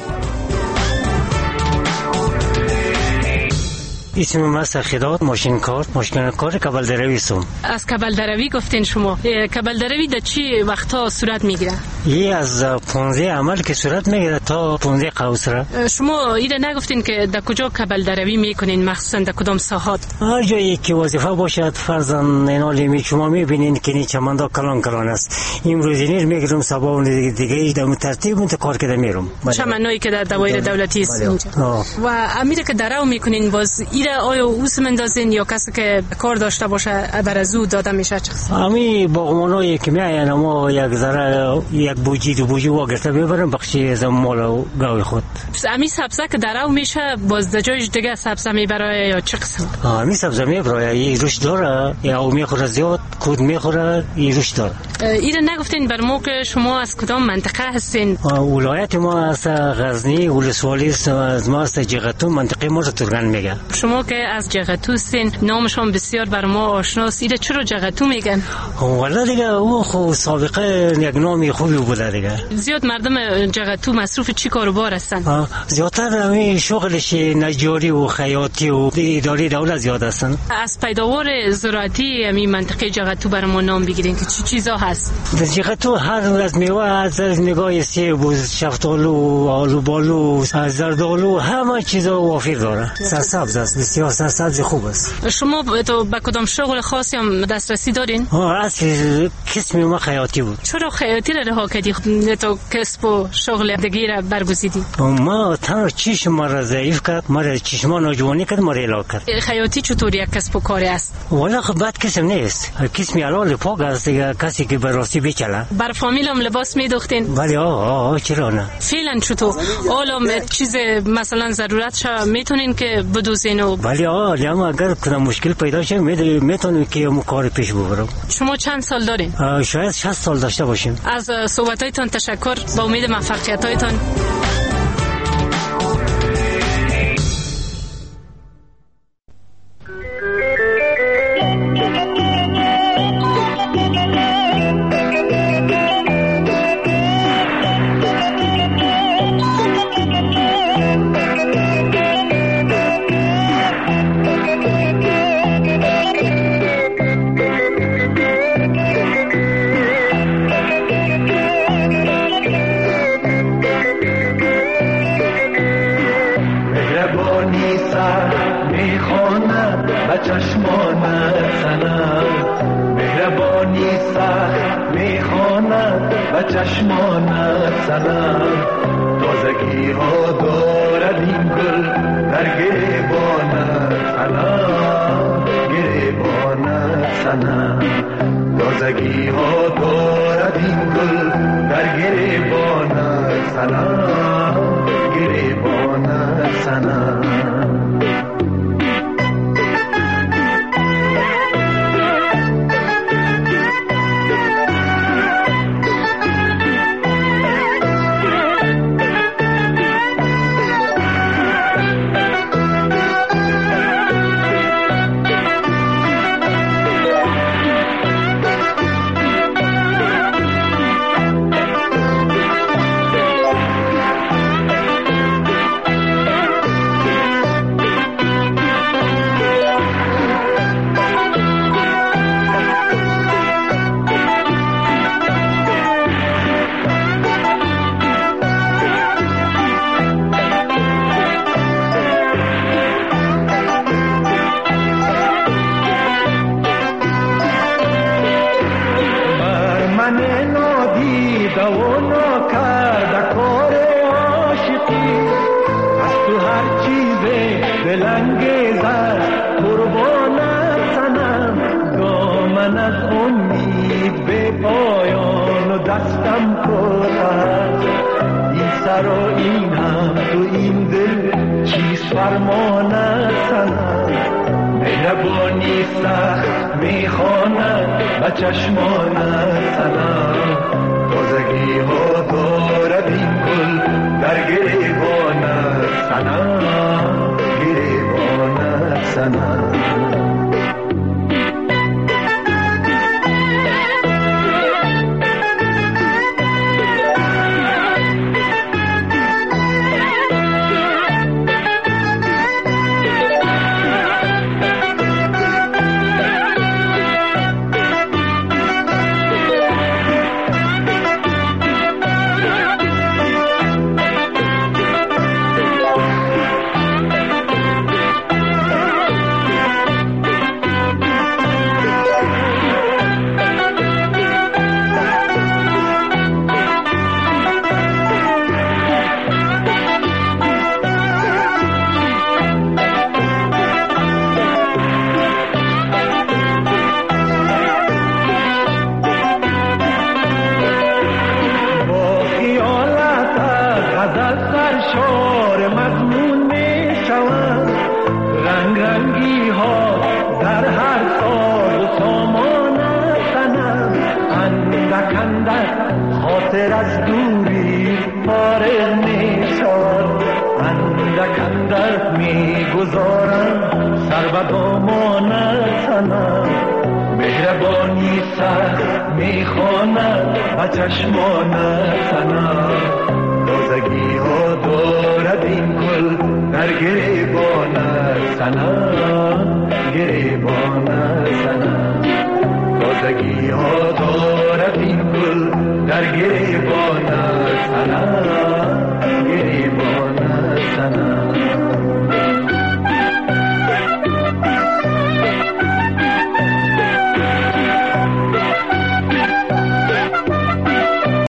اسم من سخیداد ماشین کار ماشین کار کبل دروی سوم. از کبل دروی گفتین شما. کبل دروی در چی وقتا صورت میگیره؟ یه از پانزده عمل که صورت میگیره تا پانزده قوس را. شما ایره نگفتین که در کجا کبل دروی میکنین، مخصوصا در کدام ساحات؟ هر جایی که وظیفه باشد. فرضاً اینا لیمی شما میبینین که این چمندا کلان کلان است. امروز اینیر میگیرم صبا دیگه دیگه در ترتیب اون کار کرده میرم. چمنایی که در دوایر دولتی است اینجا. و امیر که درو میکنین باز ایره آیا اوس مندازین یا کسی که کار داشته باشه بر از او داده میشه؟ چه قسم؟ امی باغبانایی که میاین ما یک ذره یک بوجی دو بوجی واگرته میبرن بخشی از مال و گاوی خود. امی سبزه که درو میشه باز در جایش دیگه سبزه میبره یا چه قسم؟ امی سبزه میبره، این روش داره، یا او میخوره زیاد، کود میخوره، این روش داره. ایره نگفتین بر ما که شما از کدام منطقه هستین؟ ولایت ما از غزنی، ولسوالی از ما از جغتو، منطقه ما ترگان میگه. شما که از جغتو هستین، نامشون بسیار بر ما آشناست، ایره چرا جغتو میگن؟ والا دیگه او خو سابقه یک نامی خوبی بوده دیگه. زیاد مردم جغتو مصروف چی کاروبار هستن؟ زیادتر همین شغلش نجاری و خیاطی و اداری دولت زیاد هستن. از پیداوار زراعتی همین منطقه جغتو بر ما نام بگیرین که چی چیزا هست؟ در جغتو هر از میوه، از نگاه سیب و شفتالو و آلوبالو، زردآلو، همه چیزا وافر داره. سرسبز است، بسیار سرسبز خوب است. شما تو به کدام شغل خاصی هم دسترسی دارین؟ اصل کسب ما خیاطی بود. چرا خیاطی را رها کردی؟ تو کسب و شغل دیگه را برگزیدی؟ ما تنها چشم ما را ضعیف کرد، ما را چشمان ناجوانی کرد، ما را علاق کرد. خیاطی چطور یک کسب و کار است؟ والا خب بد کسب نیست، کسب حلال پاک است دیگه، کسی که به راستی بچله. بر فامیل هم لباس میدوختین؟ بله آه آه چرا نه. فعلا چطور؟ حالا چیز مثلا ضرورت شو میتونین که بدوزین و بله آه، اما اگر کدام مشکل پیدا شه میتونیم که کار پیش ببرم. شما چند سال دارین؟ شاید شصت سال داشته باشیم. از صحبت‌هایتان تشکر، با امید موفقیت‌هایتان. Yeah. سرشار مضمون می شود. رنگ رنگی ها در هر ساز و سامان سنم، اندک اندک خاطر از دوری فارغ می شود. اندک اندک می گذارم سر به دامان سنم، مهربانی سر می خواند و چشمان سنم. تازگی ها دارد این گل در گریبان سنم، گریبان سنم. تازگی ها دارد این گل در گریبان سنم، گریبان سنم.